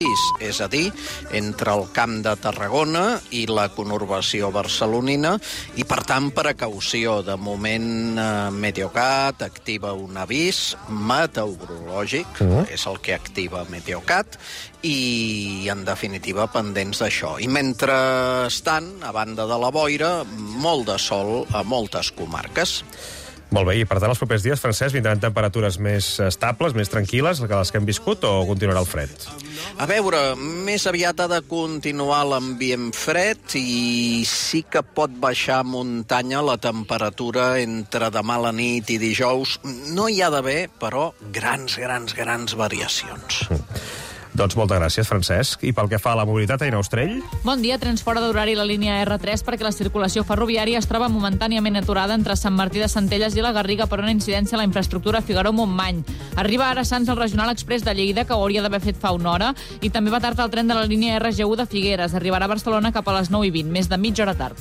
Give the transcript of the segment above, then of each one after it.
país, és a dir, entre el Camp de Tarragona i la conurbació barcelonina, i per tant precaució. De moment Meteocat activa un avís meteorològic, és el que activa Meteocat, i en definitiva pendents d'això. I mentrestant, a banda de la boira, molt de sol a moltes comarques. Molt bé, i per tant els propers dies, Francesc, vindran temperatures més estables, més tranquil·les que les que hem viscut, o continuarà el fred? A veure, més aviat ha de continuar l'ambient fred i sí que pot baixar a muntanya la temperatura entre demà a la nit i dijous. No hi ha d'haver, però, grans variacions. Doncs moltes gràcies, Francesc. I pel que fa a la mobilitat, Aina Ostrell? Bon dia. Trens fora d'horari la línia R3 perquè la circulació ferroviària es troba momentàniament aturada entre Sant Martí de Centelles i la Garriga per una incidència a la infraestructura Figaró-Montmany. Arriba ara a Sants el Regional Express de Lleida, que ho hauria d'haver fet fa una hora, i també va tard el tren de la línia RG1 de Figueres. Arribarà a Barcelona cap a les 9:20, més de mitja hora tard.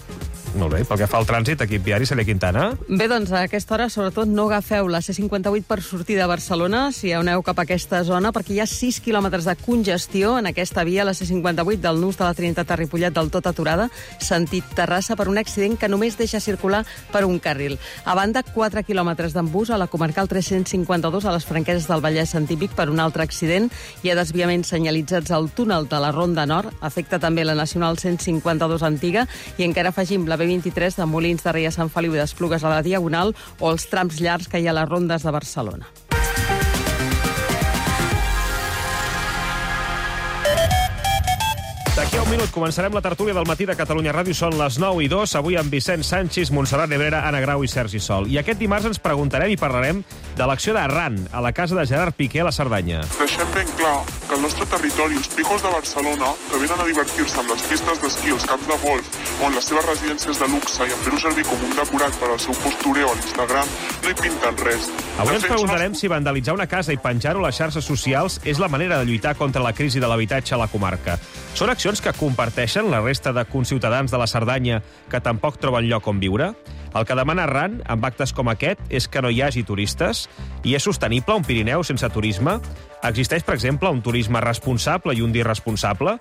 Molt bé. Pel que fa al trànsit, equip viari, Cèlia Quintana? Bé, doncs a aquesta hora, sobretot, no agafeu la C58 per sortir de Barcelona, si aneu cap a aquesta zona, perquè hi ha 6 quilòmetres de congestió en aquesta via, la C58 del nus de la Trinitat a Ripollet, del tot aturada, sentit Terrassa, per un accident que només deixa circular per un carril. A banda, 4 quilòmetres d'embús a la comarcal 352 a les Franqueses del Vallès Antípic per un altre accident. Hi ha desviaments senyalitzats al túnel de la Ronda Nord, afecta també la Nacional 152 antiga, i encara afegim la B23 de Molins de Rei a Sant Feliu i d'Esplugues a la Diagonal, o els trams llargs que hi ha a les rondes de Barcelona. D'aquí a un minut començarem la tertúlia del matí de Catalunya Ràdio. Són les 9:02, avui amb Vicent Sanchis, Montserrat Nebrera, Anna Grau i Sergi Sol. I aquest dimarts ens preguntarem i parlarem de l'acció d'Arran a la casa de Gerard Piqué a la Cerdanya. Deixem ben clar que el nostre territori, els picos de Barcelona, que venen a divertir-se amb les pistes d'esquí, els camps de golf o en les seves residències de luxe i en fer-ho servir com un decorat per al seu postureo a l'Instagram, no hi pinten res. Avui ens preguntarem si vandalitzar una casa i penjar-ho a les xarxes socials és la manera de lluitar contra la crisi de l'habitatge a la comarca. Són accions que comparteixen la resta de conciutadans de la Cerdanya que tampoc troben lloc on viure? El que demana Arran, amb actes com aquest, és que no hi hagi turistes? I és sostenible un Pirineu sense turisme? Existeix, per exemple, un turisme responsable i un d'irresponsable?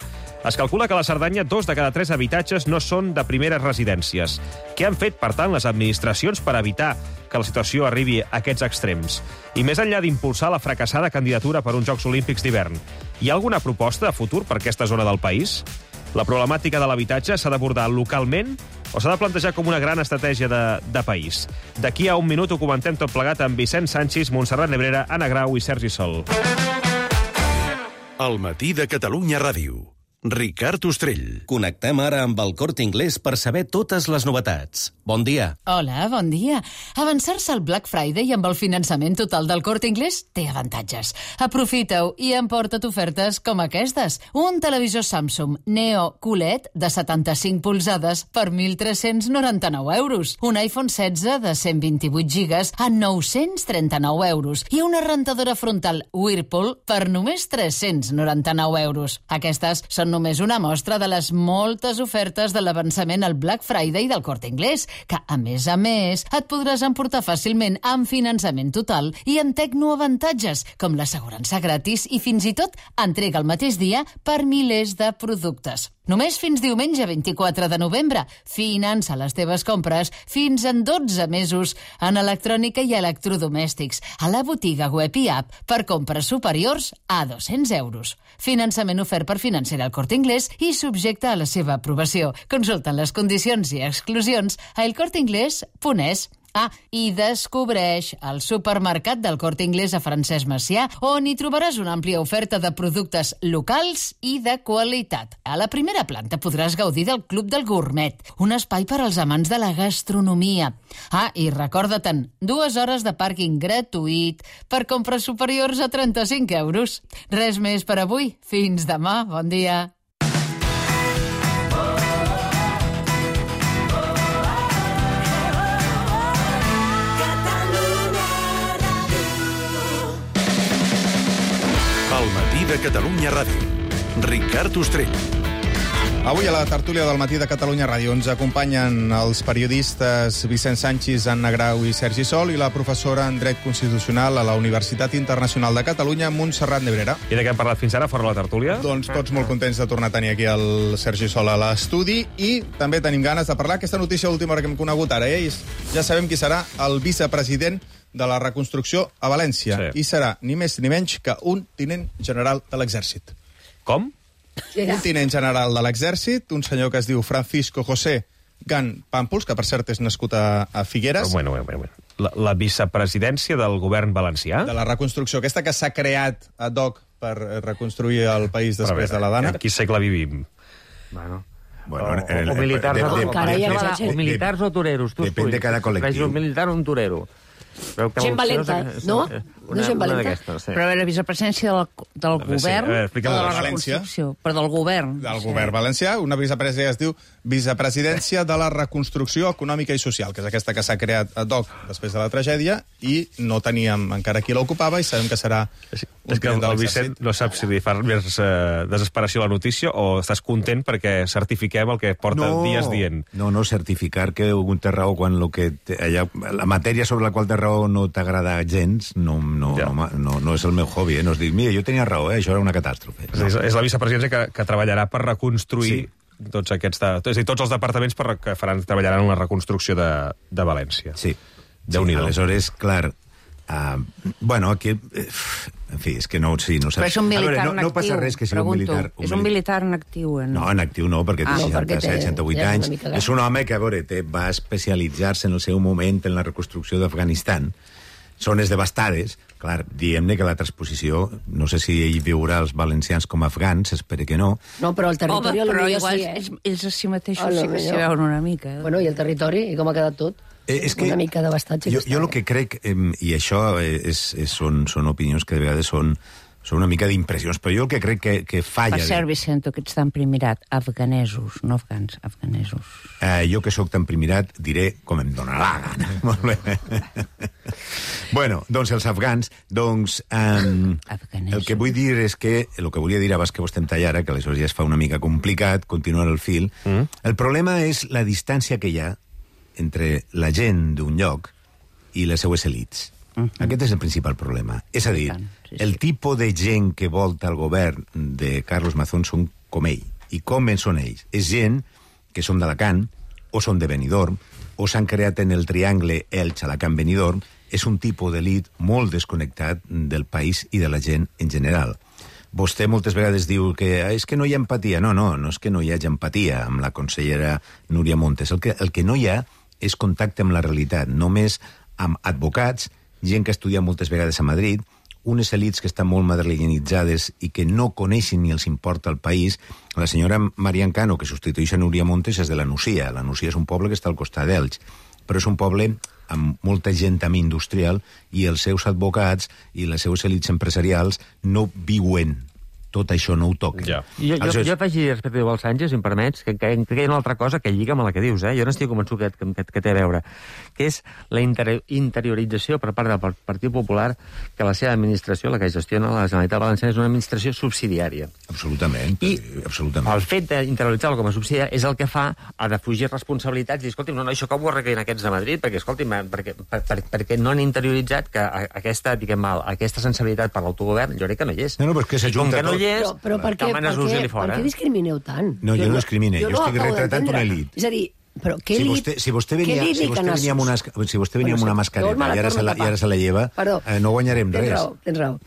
Es calcula que a la Cerdanya 2 de cada 3 habitatges no són de primeres residències. Què han fet, per tant, les administracions per evitar que la situació arribi a aquests extrems? I més enllà d'impulsar la fracassada candidatura per uns Jocs Olímpics d'hivern, hi ha alguna proposta de futur per aquesta zona del país? La problemàtica de l'habitatge s'ha d'abordar localment o s'ha de plantejar com una gran estratègia de país? D'aquí a un minut ho comentem tot plegat amb Vicent Sanchis, Montserrat Nebrera, Anna Grau i Sergi Sol. El matí de Catalunya Ràdio. Ricard Ostrell. Connectem ara amb el Corte Inglés per saber totes les novetats. Bon dia. Hola, bon dia. Avançar-se al Black Friday amb el finançament total del Corte Inglés té avantatges. Aprofita-ho i emporta't ofertes com aquestes. Un televisor Samsung Neo QLED de 75 polzades per 1.399 euros. Un iPhone 16 de 128 gigas a 939 euros. I una rentadora frontal Whirlpool per només 399 euros. Aquestes són només una mostra de les moltes ofertes de l'avançament al Black Friday del Corte Inglés, que, a més, et podràs emportar fàcilment amb finançament total i amb tecnoavantatges, com l'assegurança gratis i fins i tot entrega el mateix dia per milers de productes. Només fins diumenge 24 de novembre. Finança les teves compres fins en 12 mesos en electrònica i electrodomèstics, a la botiga web i app per compres superiors a 200 euros. Finançament ofert per Financera al Corte Inglés i subjecte a la seva aprovació. Consulta les condicions i exclusions a elcorteinglés.es. I descobreix el supermercat del Corte Inglés a Francesc Macià, on hi trobaràs una àmplia oferta de productes locals i de qualitat. A la primera planta podràs gaudir del Club del Gourmet, un espai per als amants de la gastronomia. I recorda-te'n, 2 hores de pàrquing gratuït per compres superiors a 35 euros. Res més per avui. Fins demà. Bon dia. El matí de Catalunya Ràdio. Ricard Ostrell. Avui a la tertúlia del Matí de Catalunya Ràdio ens acompanyen els periodistes Vicent Sanchis, Anna Grau i Sergi Sol i la professora en Dret Constitucional a la Universitat Internacional de Catalunya, Montserrat Nebrera. I de què hem parlat fins ara, fora la tertúlia? Doncs tots molt contents de tornar a tenir aquí el Sergi Sol a l'estudi i també tenim ganes de parlar aquesta notícia última hora que hem conegut ara. Ja sabem qui serà el vicepresident de la reconstrucció a València. Sí. I serà ni més ni menys que un tinent general de l'Exèrcit. Com? Un tinent general de l'Exèrcit, un senyor que es diu Francisco José Gan Pàmpols, que per cert és nascut a Figueres. Bueno. La vicepresidència del govern valencià? De la reconstrucció, aquesta que s'ha creat ad hoc per reconstruir el país després de la Dana. En quin segle vivim? Bueno, o militars o toreros. Depèn de cada col·lectiu. Un militar o un torero. Gent valenta, no? No gent valenta. Però a veure, vicepresidència del govern de la reconstrucció. Però del govern. Del govern valencià. Una vicepresidència es diu Vicepresidència de la Reconstrucció Econòmica i Social, que és aquesta que s'ha creat ad hoc després de la tragèdia i no teníem encara qui l'ocupava i sabem que serà És que el Vicent no sap si li fa més desesperació la notícia o estàs content perquè certifiquem el que porta dies dient. No certificar que un té raó quan la matèria sobre la qual té raó no t'agrada gens, no és el meu hobby, no és dir, mira, jo tenia raó, això era una catàstrofe. És la vicepresidència que treballarà per reconstruir tots els departaments que treballaran en la reconstrucció de València. Sí. Aleshores, clar, aquí... En fi, és que no saps... Però és un militar en actiu. No passa res que sigui un militar... És un militar en actiu, no? No, en actiu no, perquè té 67-68 anys. És un home que, a veure, va especialitzar-se en el seu moment en la reconstrucció d'Afganistan. Zones devastades. Clar, diguem-ne que la transposició, no sé si ell viurà els valencians com a afgans, espero que no. No, però el territori... Però igual ells a si mateixos sí que s'hi veuen una mica. Bueno, i el territori, i com ha quedat tot? Una mica devastat. Jo el que crec, i això són opinions que de vegades són una mica d'impressions, però jo el que crec que falla... Per cert, Vicento, que ets tan primirat, afganesos, no afgans, afganesos. Jo que sóc tan primirat diré com em dóna la gana. Molt bé. Bueno, doncs els afgans, el que vull dir és que, el que volia dir abans que vostè em tallara, que aleshores ja es fa una mica complicat continuar el fil, el problema és la distància que hi ha entre la gent d'un lloc i les seues elits. Aquest és el principal problema. És a dir, el tipus de gent que volta el govern de Carlos Mazón són com ell. I com són ells? És gent que són d'Alacant, o són de Benidorm, o s'han creat en el triangle Elx-Alacant-Benidorm. És un tipus d'elit molt desconnectat del país i de la gent en general. Vostè moltes vegades diu que és que no hi ha empatia. No és que no hi hagi empatia amb la consellera Núria Montes. El que no hi ha és contacte amb la realitat, només amb advocats, gent que estudia moltes vegades a Madrid, unes elits que estan molt madrilenitzades i que no coneixen ni els importa el país. La senyora Marian Cano, que substitueix a Núria Montes, és de la Nucia. La Nucia és un poble que està al costat d'Elx, però és un poble amb molta gent també industrial i els seus advocats i les seues elits empresarials no viuen. Tot això no ho toca. Jo afegiria respecte del Sánchez, si em permets, que hi ha una altra cosa que lliga amb la que dius. Jo no estic convençut que té a veure, que és la interiorització per part del Partit Popular que la seva administració, la que gestiona la Generalitat Valenciana, és una administració subsidiària. Absolutament. I el fet d'interioritzar-lo com a subsidiària és el que fa a defugir responsabilitats i dir, escolti'm, no, això com ho arreglen aquests de Madrid? Perquè, escolti'm, perquè no han interioritzat que aquesta sensibilitat per l'autogovern, jo crec que no hi és. No, però és que s'ajunta tot. Però per què discrimineu tant? No, jo no discrimine, jo estic retratant una elit. És a dir, però què si vostè venia amb una mascareta i ara se la lleva, no guanyarem res. Tens raó.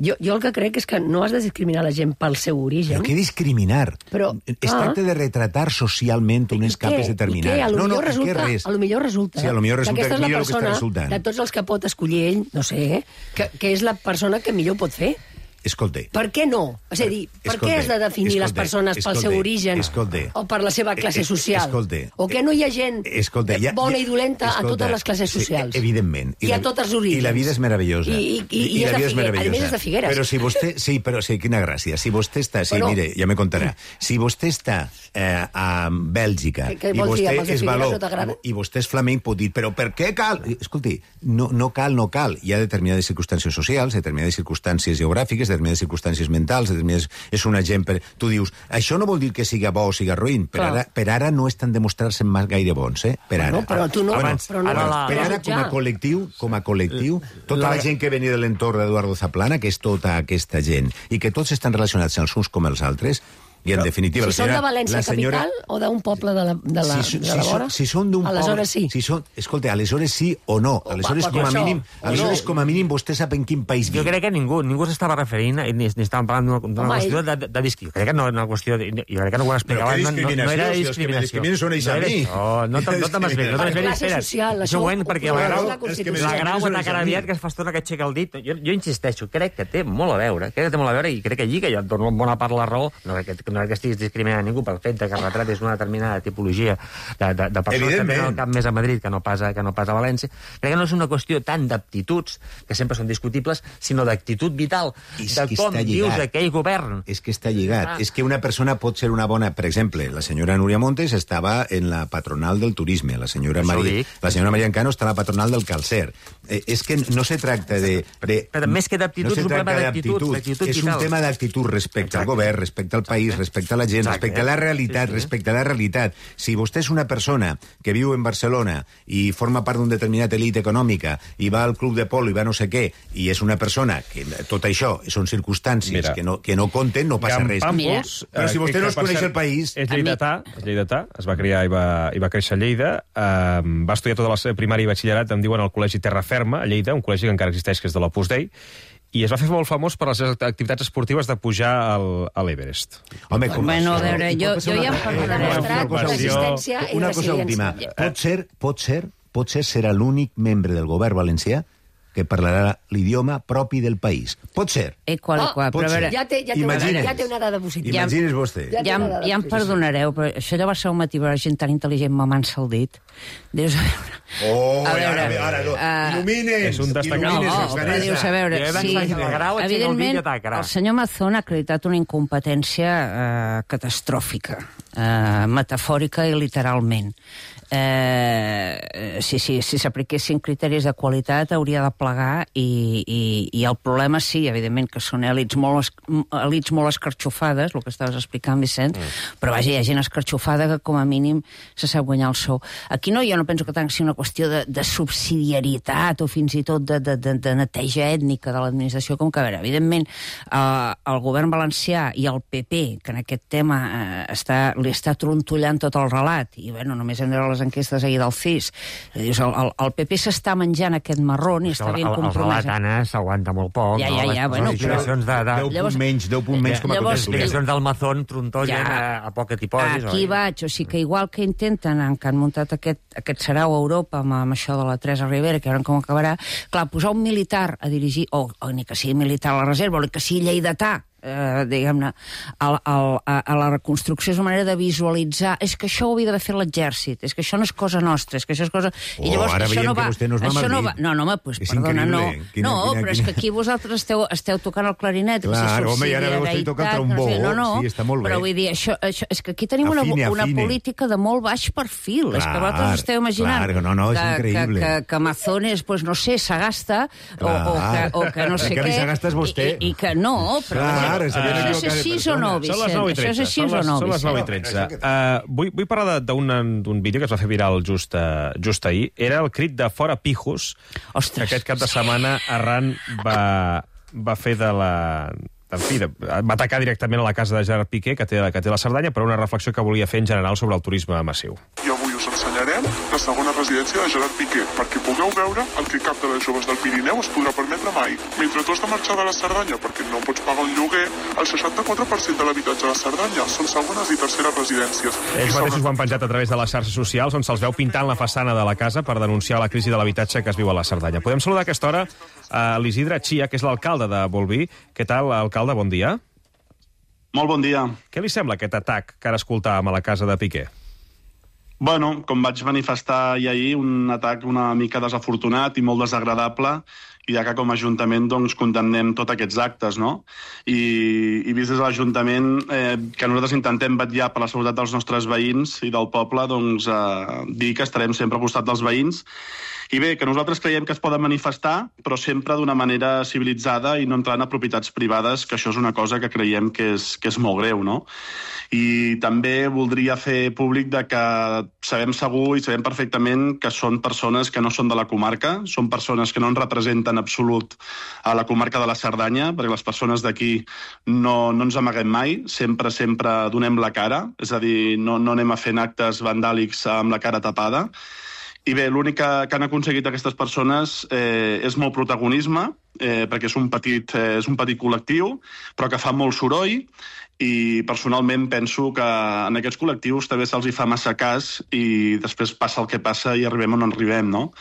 Jo el que crec és que no has de discriminar la gent pel seu origen. Però què discriminar? Es tracta de retratar socialment unes capes determinades. I què? A lo millor resulta que aquesta és la persona de tots els que pot escollir ell, no sé, que és la persona que millor pot fer. Escolta. Per què no? És a dir, per què has de definir les persones pel seu origen o per la seva classe social? O que no hi ha gent bona i dolenta a totes les classes socials? Evidentment. I a tots els orígens. I la vida és meravellosa. I la vida és meravellosa. A més és de Figueres. Però si vostè... Sí, però sí, quina gràcia. Si vostè està... Sí, mire, ja me contarà. Si vostè està a Bèlgica i vostè és flamenc, pot dir, però per què cal? Escolti, no cal. Hi ha determinades circumstàncies socials, determinades circumstàncies geogràfiques, determinades circumstàncies mentals, és una gent... Tu dius, això no vol dir que siga bo o siga roïn, per ara no estan demostrant-se gaire bons, Per ara. No, però tu no... Per ara, com a col·lectiu, tota la gent que venia de l'entorn d'Eduardo Zaplana, que és tota aquesta gent, i que tots estan relacionats els uns com els altres, i en definitiva... Si són de València capital o d'un poble de la vora, si són d'un poble... Aleshores sí. Escolta, aleshores sí o no. Aleshores, com a mínim, vostè sap en quin país viu. Jo crec que ningú s'estava referint, ni estàvem parlant d'una qüestió de discriminació. Crec que no una qüestió... Jo crec que no ho explicava. No era discriminació. Discriminació són ells a mi. No te'ls veig. Espera't. Següent, perquè la Grau atacarà aviat que es fa estona que aixeca el dit. Jo insisteixo, crec que té molt a veure. I crec que allí, que jo et dono bona part la raó, no que estiguis discriminant ningú pel fet que es retratis una determinada tipologia de persones que tenen el cap més a Madrid que no pas a València. Crec que no és una qüestió tant d'aptituds, que sempre són discutibles, sinó d'actitud vital, de com vius aquell govern. És que està lligat. És que una persona pot ser una bona... Per exemple, la senyora Núria Montes estava en la patronal del turisme, la senyora Maria Encano està a la patronal del calcer. És que no se tracta de... Però més que d'actitud, és un problema d'actitud. És un tema d'actitud respecte al govern, respecte al país, respecte a la gent, respecte a la realitat, Si vostè és una persona que viu en Barcelona i forma part d'un determinat elit econòmica i va al club de polo i va no sé què, i és una persona que tot això són circumstàncies que no compten, no passa res. Però si vostè no es coneix el país... És lleidatà, es va criar i va créixer a Lleida, va estudiar tota la primària i batxillerat, em diuen, al Col·legi Terra Ferma, a Lleida, un col·legi que encara existeix, que és de l'Opus Dei, i es va fer molt famós per les seves activitats esportives de pujar a l'Everest. Home, bueno, a veure, jo ja em parlaré. Una cosa última. Potser serà l'únic membre del govern valencià que parlarà l'idioma propi del país. Pot ser. Ja té una dada positiva. Imagines vostè. Ja em perdonareu, però això ja va ser un matí per gent tan intel·ligent mamant-se el dit. Dius, a veure... Il·lumines! És un destacat. Però dius, a veure, evidentment, el senyor Mazón ha acreditat una incompetència catastròfica, metafòrica i literalment. Si s'apliquessin criteris de qualitat hauria de plegar i el problema sí, evidentment, que són elits molt escarxofades, el que estaves explicant, Vicent, però vaja, hi ha gent escarxofada que com a mínim se sap guanyar el sou. Aquí jo no penso que tant sigui una qüestió de subsidiarietat o fins i tot de neteja ètnica de l'administració, com que, a veure, evidentment, el govern valencià i el PP, que en aquest tema li està trontollant tot el relat, i bueno, només hem de veure les enquestes ahir del CIS, el PP s'està menjant aquest marrón i està ben compromès. El relat, Anna, s'aguanta molt poc. Ja, bueno, però... 10 punts menys com a les explicacions del Mazón trontollen a poc que t'hi posis. Aquí vaig, o sigui que igual que intenten, que han muntat aquest sarau a Europa amb això de la Teresa Ribera, que veurem com acabarà, clar, posar un militar a dirigir, o ni que sigui militar a la reserva, o que sigui lleidatà, diguem-ne, a la reconstrucció és una manera de visualitzar, és que això ho havia d'haver fet l'exèrcit, és que això no és cosa nostra, és que això és cosa... I llavors, ara veiem que vostè no es va a Madrid. No, home, doncs, perdona, no. No, però és que aquí vosaltres esteu tocant el clarinet. Clar, home, i ara vostè toca el trombó. Sí, està molt bé. Però vull dir, és que aquí tenim una política de molt baix perfil. És que vosaltres esteu imaginant que Mazones, no sé, s'agasta o que no sé què. Que li s'agasta és vostè. I que no, però... Això és així o no, Vicent? Això és així o no, Vicent? Són les 9:13. Vull parlar d'un vídeo que es va fer viral just ahir. Era el crit de Fora Pijos. Ostres. Aquest cap de setmana Arran va fer de la... En fi, va atacar directament a la casa de Gerard Piqué, que té la Cerdanya, per una reflexió que volia fer en general sobre el turisme massiu. I avui us ensenyarem la segona residència de Gerard Piqué, perquè pugueu veure el que cap de les joves del Pirineu es podrà permetre mai. Mentre tu has de marxar de la Cerdanya perquè no pots pagar un lloguer, el 64% de l'habitatge de la Cerdanya són segones i terceres residències. Ells mateixos ho han penjat a través de les xarxes socials, on se'ls veu pintant la façana de la casa per denunciar la crisi de l'habitatge que es viu a la Cerdanya. Podem saludar a aquesta hora a l'Isidre Chia, que és l'alcalde de Bolvir. Què tal, alcalde? Bon dia. Molt bon dia. Què li sembla aquest atac que ara escoltàvem a la casa de Piqué? Bueno, com vaig manifestar ahir, un atac una mica desafortunat i molt desagradable, ja que com a Ajuntament doncs, condemnem tots aquests actes, no? I vist des de l'Ajuntament que nosaltres intentem vetllar per la seguretat dels nostres veïns i del poble, doncs dir que estarem sempre al costat dels veïns. I bé, que nosaltres creiem que es poden manifestar, però sempre d'una manera civilitzada i no entrant a propietats privades, que això és una cosa que creiem que és molt greu, no? I també voldria fer públic de que sabem segur i sabem perfectament que són persones que no són de la comarca, són persones que no ens representen en absolut a la comarca de la Cerdanya, perquè les persones d'aquí no ens amaguem mai, sempre donem la cara, és a dir, no anem a fer actes vandàlics amb la cara tapada. I bé, l'únic que han aconseguit aquestes persones és molt protagonisme, perquè és un petit col·lectiu, però que fa molt soroll, i personalment penso que en aquests col·lectius també se'ls hi fa massa cas i després passa el que passa i arribem on arribem, no?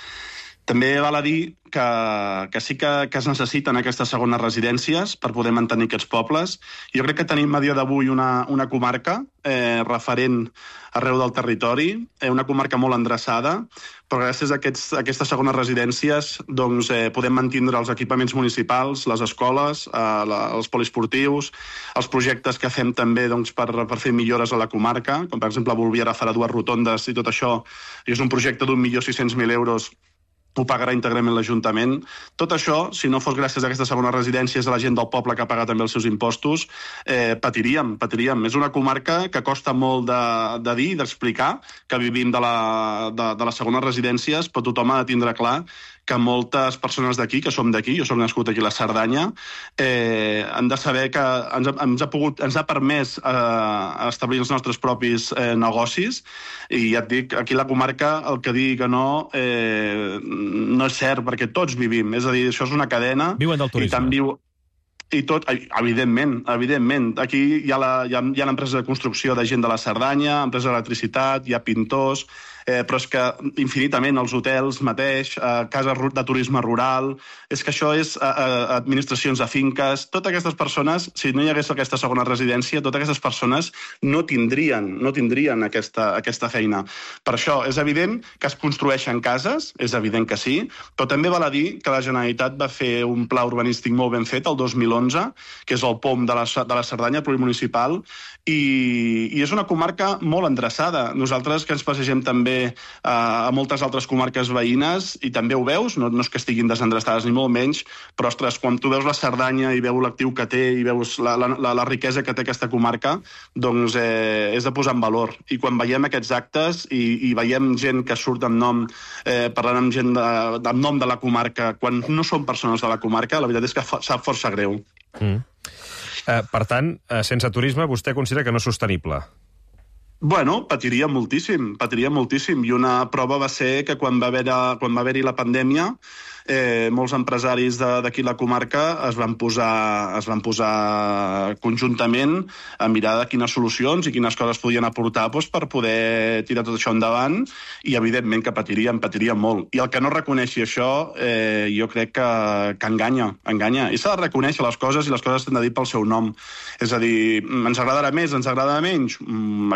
També val a dir que sí que es necessiten aquestes segones residències per poder mantenir aquests pobles. Jo crec que tenim a dia d'avui una comarca referent arreu del territori, una comarca molt endreçada, però gràcies a aquestes segones residències doncs, podem mantindre els equipaments municipals, les escoles, els poliesportius, els projectes que fem també doncs, per fer millores a la comarca, com per exemple Bolvir ara farà 2 rotondes i tot això, i és un projecte d'1.600.000 euros, ho pagarà íntegrament l'Ajuntament. Tot això, si no fos gràcies a aquestes segones residències de la gent del poble que paga també els seus impostos, patiríem. És una comarca que costa molt de dir, d'explicar, que vivim de les segones residències, però tothom ha de tindre clar que moltes persones d'aquí, que som d'aquí, jo soc nascut aquí a la Cerdanya, han de saber que ens ha permès establir els nostres propis negocis, i ja et dic, aquí a la comarca el que digui que no és cert, perquè tots vivim, és a dir, això és una cadena. Viuen del turisme. I tot, evidentment. Aquí hi ha l'empresa de construcció de gent de la Cerdanya, empresa d'electricitat, hi ha pintors, però és que infinitament els hotels mateix, cases de turisme rural, és que això és administracions de finques, totes aquestes persones, si no hi hagués aquesta segona residència, totes aquestes persones no tindrien aquesta feina. Per això és evident que es construeixen cases, és evident que sí, però també val a dir que la Generalitat va fer un pla urbanístic molt ben fet el 2011, que és el POM de la Cerdanya plurimunicipal, i és una comarca molt endreçada. Nosaltres que ens passegem també a moltes altres comarques veïnes, i també ho veus, no és que estiguin desendreçades ni molt menys, però ostres, quan tu veus la Cerdanya i veus l'actiu que té i veus la riquesa que té aquesta comarca, doncs és de posar en valor. I quan veiem aquests actes i veiem gent que surt amb nom, parlant amb gent amb nom de la comarca, quan no són persones de la comarca, la veritat és que sap força greu. Per tant, sense turisme, vostè considera que no és sostenible? Bueno, patiria moltíssim, i una prova va ser que quan va haver-hi la pandèmia, molts empresaris d'aquí la comarca es van posar conjuntament a mirar de quines solucions i quines coses podien aportar per poder tirar tot això endavant, i evidentment que patiríem molt. I el que no reconeixi això, jo crec que enganya. I s'ha de reconèixer les coses, i les coses s'han de dir pel seu nom. És a dir, ens agradarà més, ens agradarà menys,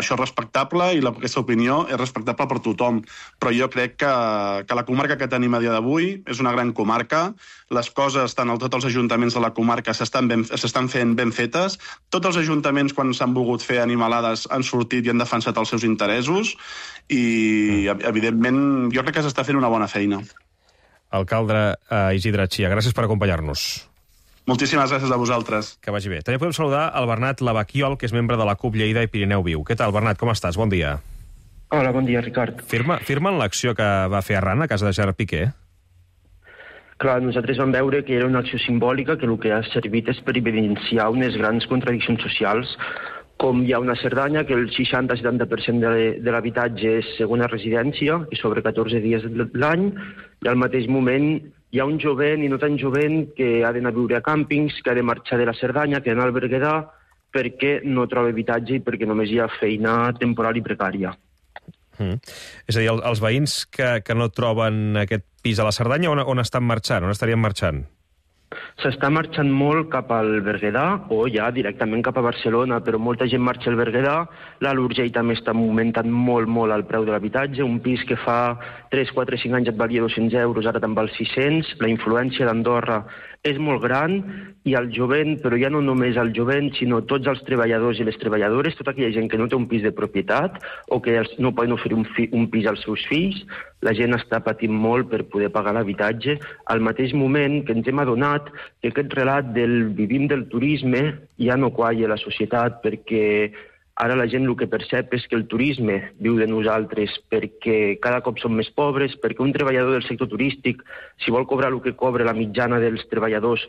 això és respectable, i aquesta opinió és respectable per tothom. Però jo crec que la comarca que tenim a dia d'avui és una gran comarca, les coses, tots els ajuntaments de la comarca s'estan fent ben fetes, tots els ajuntaments, quan s'han volgut fer animalades, han sortit i han defensat els seus interessos, i evidentment jo crec que s'està fent una bona feina. Alcalde Isidre Chia, gràcies per acompanyar-nos. Moltíssimes gràcies a vosaltres. Que vagi bé. També podem saludar el Bernat Lavaquiol, que és membre de la CUP Lleida i Pirineu Viu. Què tal, Bernat, com estàs? Bon dia. Hola, bon dia, Ricard. Firmen l'acció que va fer Arran a casa de Gerard Piqué? Clar, nosaltres vam veure que era una acció simbòlica que el que ha servit és per evidenciar unes grans contradiccions socials, com hi ha una Cerdanya que el 60-70% de l'habitatge és segona residència i sobre 14 dies de l'any, i al mateix moment hi ha un jovent i no tan jovent que ha d'anar a viure a càmpings, que ha de marxar de la Cerdanya, que ha d'anar al Berguedà, perquè no troba habitatge i perquè només hi ha feina temporal i precària. És a dir, els veïns que no troben aquest pis a la Cerdanya, on estan marxant? On estarien marxant? S'està marxant molt cap al Berguedà o ja directament cap a Barcelona, però molta gent marxa al Berguedà. L'Alt Urgell també està augmentant molt el preu de l'habitatge. Un pis que fa 3, 4, 5 anys et valia 200 euros, ara te'n val 600. La influència d'Andorra és molt gran i el jovent, però ja no només el jovent, sinó tots els treballadors i les treballadores, tota aquella gent que no té un pis de propietat o que no poden oferir un pis als seus fills, la gent està patint molt per poder pagar l'habitatge, al mateix moment que ens hem adonat que aquest relat del vivim del turisme ja no qualla a la societat, perquè ara la gent el que percep és que el turisme viu de nosaltres, perquè cada cop som més pobres, perquè un treballador del sector turístic, si vol cobrar el que cobra la mitjana dels treballadors,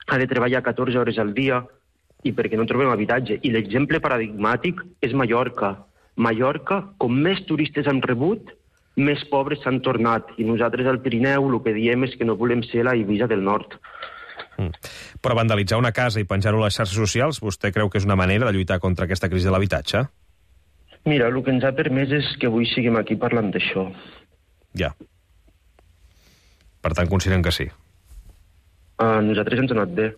ha de treballar 14 hores al dia, i perquè no trobem habitatge. I l'exemple paradigmàtic és Mallorca. Mallorca, com més turistes han rebut, més pobres s'han tornat. I nosaltres al Pirineu el que diem és que no volem ser la Eivissa del Nord. Però vandalitzar una casa i penjar-ho a les xarxes socials, vostè creu que és una manera de lluitar contra aquesta crisi de l'habitatge? Mira, el que ens ha permès és que avui siguem aquí parlant d'això. Ja. Per tant, consideren que sí? A nosaltres ens ha anat bé.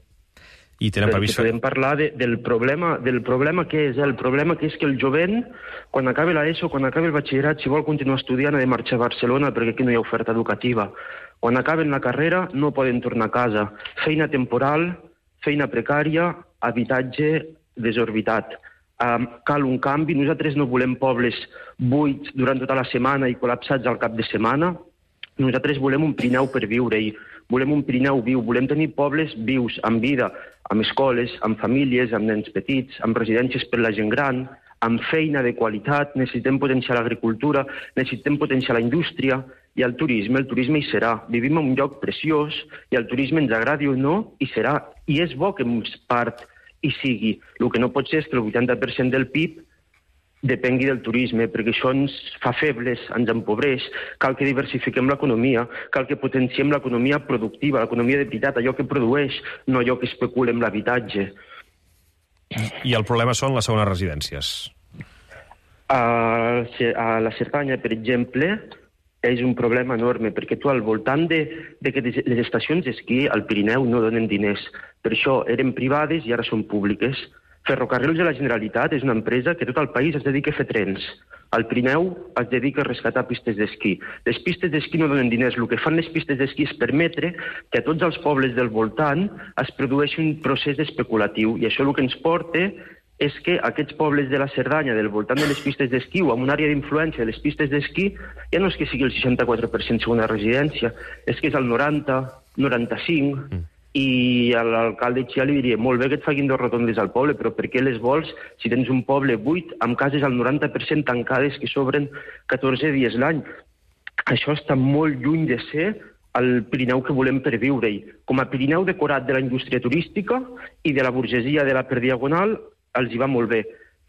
I tenen previst... Podem parlar del problema que és. El problema que és que el jovent, quan acabi l'ESO, quan acabi el batxillerat, si vol continuar estudiant, ha de marxar a Barcelona perquè aquí no hi ha oferta educativa. Quan acaben la carrera no poden tornar a casa. Feina temporal, feina precària, habitatge desorbitat. Cal un canvi. Nosaltres no volem pobles buits durant tota la setmana i col·lapsats al cap de setmana. Nosaltres volem un Pirineu per viure-hi. Volem un Pirineu viu. Volem tenir pobles vius, amb vida, amb escoles, amb famílies, amb nens petits, amb residències per la gent gran, amb feina de qualitat. Necessitem potenciar l'agricultura, necessitem potenciar la indústria i el turisme hi serà. Vivim en un lloc preciós i el turisme, ens agradi o no, hi serà. I és bo que en part hi sigui. El que no pot ser és que el 80% del PIB depengui del turisme, perquè això ens fa febles, ens empobreix. Cal que diversifiquem l'economia, cal que potenciem l'economia productiva, l'economia de veritat, allò que produeix, no allò que especula amb l'habitatge. I el problema són les segones residències? A la Cerdanya, per exemple, és un problema enorme, perquè tu al voltant de que les estacions d'esquí al Pirineu no donen diners. Per això eren privades i ara són públiques. Ferrocarrils de la Generalitat és una empresa que tot el país es dedica a fer trens. Al Pirineu es dedica a rescatar pistes d'esquí. Les pistes d'esquí no donen diners. El que fan les pistes d'esquí és permetre que a tots els pobles del voltant es produeixi un procés especulatiu. I això el que ens porta és que aquests pobles de la Cerdanya, del voltant de les pistes d'esquí o amb una àrea d'influència de les pistes d'esquí, ja no és que sigui el 64% segona residència, és que és el 90, 95... I a l'alcalde Chia li diria, molt bé que et facin 2 rotondes al poble, però per què les vols si tens un poble buit amb cases al 90% tancades que s'obren 14 dies l'any? Això està molt lluny de ser el Pirineu que volem per viure-hi. Com a Pirineu decorat de la indústria turística i de la burgesia de la per diagonal, els hi va molt bé.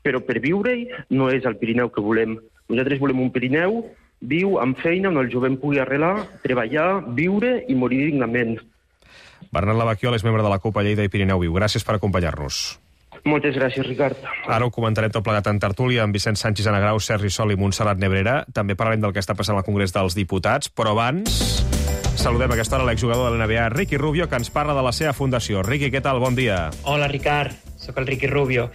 Però per viure-hi no és el Pirineu que volem. Nosaltres volem un Pirineu viu, amb feina, on el jovent pugui arrelar, treballar, viure i morir dignament. Bernat Lavaquiol és membre de la CUP a Lleida i Pirineu Viu. Gràcies per acompanyar-nos. Moltes gràcies, Ricard. Ara ho comentarem tot plegat en tertúlia amb Vicent Sánchez Anagrau, Sergi Sol i Montserrat Nebrera. També parlarem del que està passant al Congrés dels Diputats, però abans saludem a aquesta hora l'exjugador de l'NBA, Ricky Rubio, que ens parla de la seva fundació. Ricky, què tal? Bon dia. Hola, Ricard. Soc el Ricky Rubio.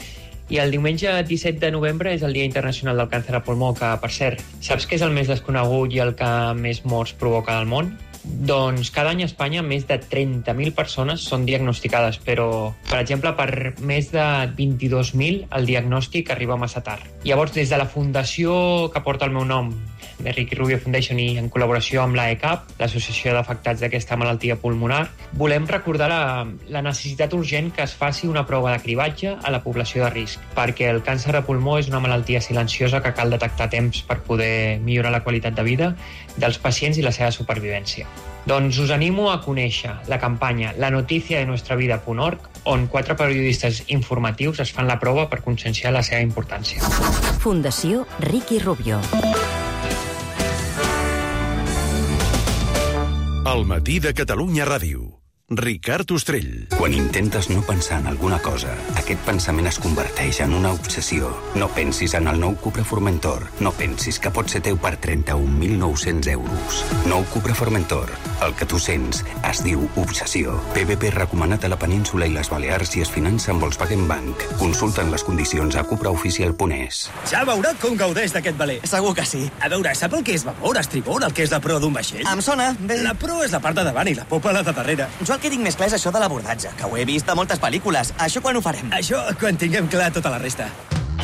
I el diumenge 17 de novembre és el Dia Internacional del Càncer al Pulmó, que, per cert, saps que és el més desconegut i el que més morts provoca al món? Doncs cada any a Espanya més de 30.000 persones són diagnosticades, però, per exemple, per més de 22.000 el diagnòstic arriba massa tard. Llavors, des de la fundació que porta el meu nom, de Ricky Rubio Foundation, i en col·laboració amb l'AECAP, l'Associació d'Afectats d'aquesta malaltia pulmonar, volem recordar la necessitat urgent que es faci una prova de cribatge a la població de risc, perquè el càncer de pulmó és una malaltia silenciosa que cal detectar a temps per poder millorar la qualitat de vida dels pacients i la seva supervivència. Doncs us animo a conèixer la campanya lanoticiadenuestravida.org, on 4 periodistes informatius es fan la prova per conscienciar la seva importància. Fundació Ricky Rubio. El matí de Catalunya Ràdio. Ricard Ostrell. Quan intentes no pensar en alguna cosa, aquest pensament es converteix en una obsessió. No pensis en el nou Cupra Formentor. No pensis que pot ser teu per 31.900 euros. Nou Cupra Formentor. El que tu sents es diu obsessió. PVP recomanat a la península i les Balears i es finança amb Volkswagen Bank. Consulta'n les condicions a cupraoficial.es. Ja veurà com gaudeix d'aquest valer. Segur que sí. A veure, sap el que és vapor, estribor, el que és la proa d'un vaixell? Em sona. Bé. La proa és la part de davant i la popa la de darrere. Jo el que tinc més clar és això de l'abordatge, que ho he vist a moltes pel·lícules. Això quan ho farem? Això quan tinguem clar tota la resta.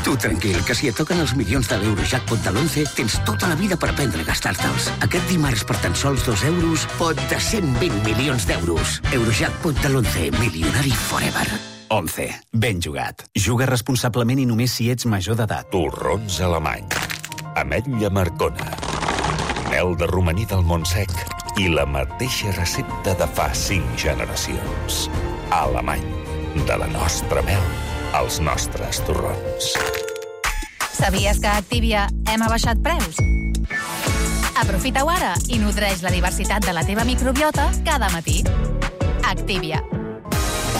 Tu tranquil, que si et toquen els milions de l'Eurojackpot de l'11, tens tota la vida per aprendre a gastar-te'ls. Aquest dimarts, per tan sols 2 euros, pot de 120 milions d'euros. Eurojackpot de l'11, milionari forever. 11. Ben jugat. Juga responsablement i només si ets major d'edat. Torrons alemany. Ametlla Marcona. Mel de romaní del Montsec i la mateixa recepta de fa 5 generacions. Alemany. De la nostra mel als nostres torrons. Sabies que a Activia hem abaixat preus? Aprofita-ho ara i nodreix la diversitat de la teva microbiota cada matí. Activia.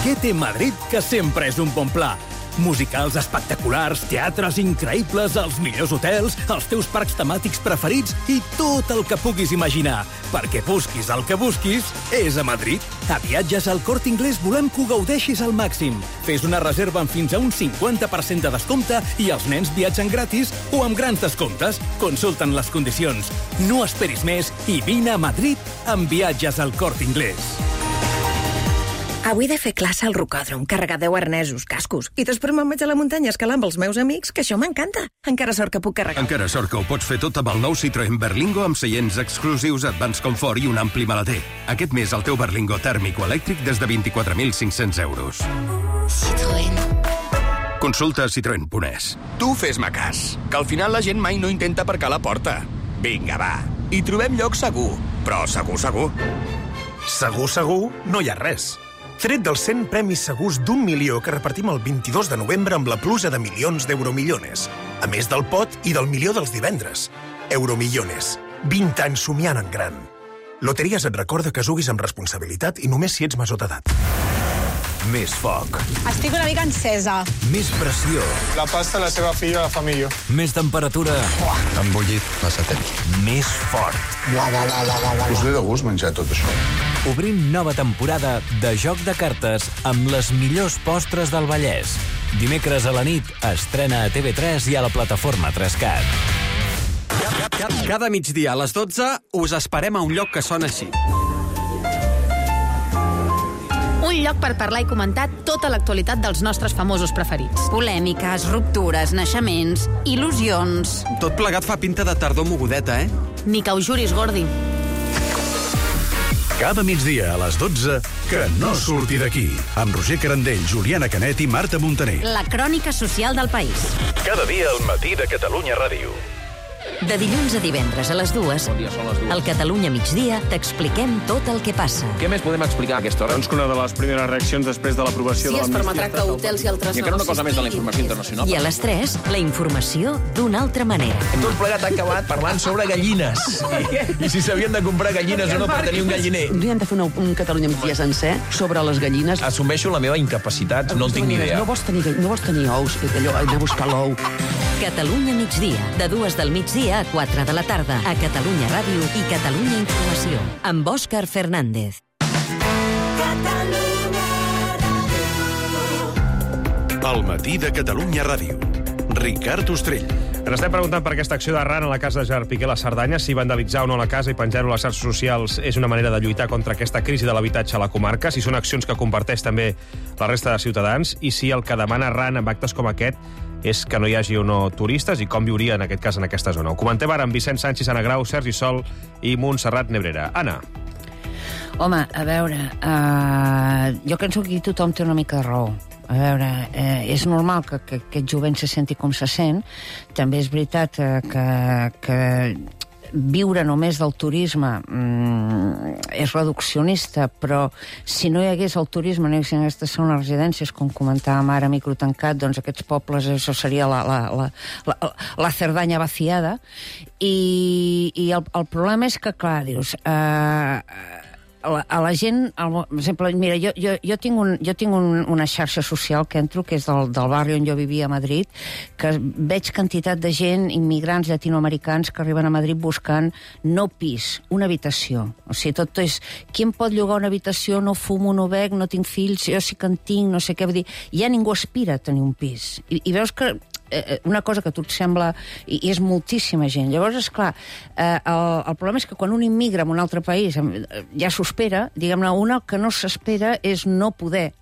Què té Madrid que sempre és un bon pla? Musicals espectaculars, teatres increïbles, els millors hotels, els teus parcs temàtics preferits i tot el que puguis imaginar. Perquè busquis el que busquis, és a Madrid. A Viatges al Corte Inglés volem que ho gaudeixis al màxim. Fes una reserva amb fins a un 50% de descompte i els nens viatgen gratis o amb grans descomptes. Consulta'n les condicions. No esperis més i vine a Madrid amb Viatges al Corte Inglés. Avui he de fer classe al rocòdrom, carregar 10 arnesos, cascos, i després me'n vaig a la muntanya a escalar amb els meus amics, que això m'encanta. Encara sort que puc carregar. Encara sort que ho pots fer tot amb el nou Citroën Berlingo amb seients exclusius, Advanced Comfort i un ampli maleter. Aquest mes el teu Berlingo tèrmic o elèctric des de 24.500 euros. Citroën. Consulta citroen.es. Tu fes-me cas, que al final la gent mai no intenta aparcar a la porta. Vinga, va, hi trobem lloc segur, però segur, segur. Segur, no hi ha res. Tret dels 100 premis segurs d'1 milió que repartim el 22 de novembre amb la pluja de milions d'Euromillones. A més del pot i del milió dels divendres. Euromillones. 20 anys somiant en gran. Loteries et recorda que juguis amb responsabilitat i només si ets major d'edat. Més foc. Estic una mica encesa. Més pressió. La pasta la seva filla fa millor. Més temperatura. Embullit massa temps. Més fort. Us ve de gust menjar tot això. Obrim nova temporada de Joc de Cartes amb les millors postres del Vallès. Dimecres a la nit estrena a TV3 i a la plataforma 3Cat. Cada migdia a les 12 us esperem a un lloc que sona així. Un lloc per parlar i comentar tota l'actualitat dels nostres famosos preferits. Polèmiques, ruptures, naixements, il·lusions... Tot plegat fa pinta de tardor mogudeta, eh? Ni que ho juris, Gordi. Cada migdia a les 12, que no surti d'aquí. Amb Roger Carandell, Juliana Canet i Marta Montaner. La crònica social del país. Cada dia al matí de Catalunya Ràdio. De dilluns a divendres a les 2, al Catalunya Migdia t'expliquem tot el que passa. Què més podem explicar a aquesta hora? Doncs que una de les primeres reaccions després de l'aprovació de l'amnistia... Sí, es permetrà que hotels i altres... I encara una cosa més de la informació internacional. I a les 3, la informació d'una altra manera. Tot plegat ha acabat parlant sobre gallines. I si s'havien de comprar gallines o no per tenir un galliner. Un dia hem de fer un Catalunya Migdia sencer sobre les gallines. Assumeixo la meva incapacitat, no en tinc ni idea. No vols tenir ous, allò, anar a buscar l'ou. Catalunya Migdia, de 2 del migdia a 4 de la tarda, a Catalunya Ràdio i Catalunya Informació, amb Òscar Fernández. Al matí de Catalunya Ràdio. Ricard Ostrell. Ens estem preguntant per aquesta acció d'Arran a la casa de Gerard Piqué a la Cerdanya, si vandalitzar o no la casa i penjar-ho a les xarxes socials és una manera de lluitar contra aquesta crisi de l'habitatge a la comarca, si són accions que comparteix també la resta de ciutadans, i si el que demana Arran amb actes com aquest és que no hi hagi o no turistes i com viuria en aquest cas en aquesta zona. Ho comentem ara amb Vicent Sánchez, Anna Grau, Sergi Sol i Montserrat Nebrera. Anna. Home, a veure, jo penso que aquí tothom té una mica de raó. A veure, és normal que aquest jovent se senti com se sent. També és veritat que viure només del turisme és reduccionista, però si no hi hagués el turisme, no hi haguessin aquestes segones residències, com comentàvem ara, microtancat, doncs aquests pobles, això seria la Cerdanya vaciada. I el problema és que, clar, dius... a la gent... Per exemple, mira, jo tinc una xarxa social que entro, que és del barri on jo vivia a Madrid, que veig quantitat de gent, immigrants llatinoamericans, que arriben a Madrid buscant no pis, una habitació. O sigui, tot és... Qui em pot llogar una habitació? No fumo, no bec, no tinc fills, jo sí que en tinc, no sé què. Vull dir, ja ningú aspira a tenir un pis. I veus que una cosa que a tu et sembla... I és moltíssima gent. Llavors, esclar, el problema és que quan un immigra en un altre país ja s'ho espera, diguem-ne, una que no s'espera és no poder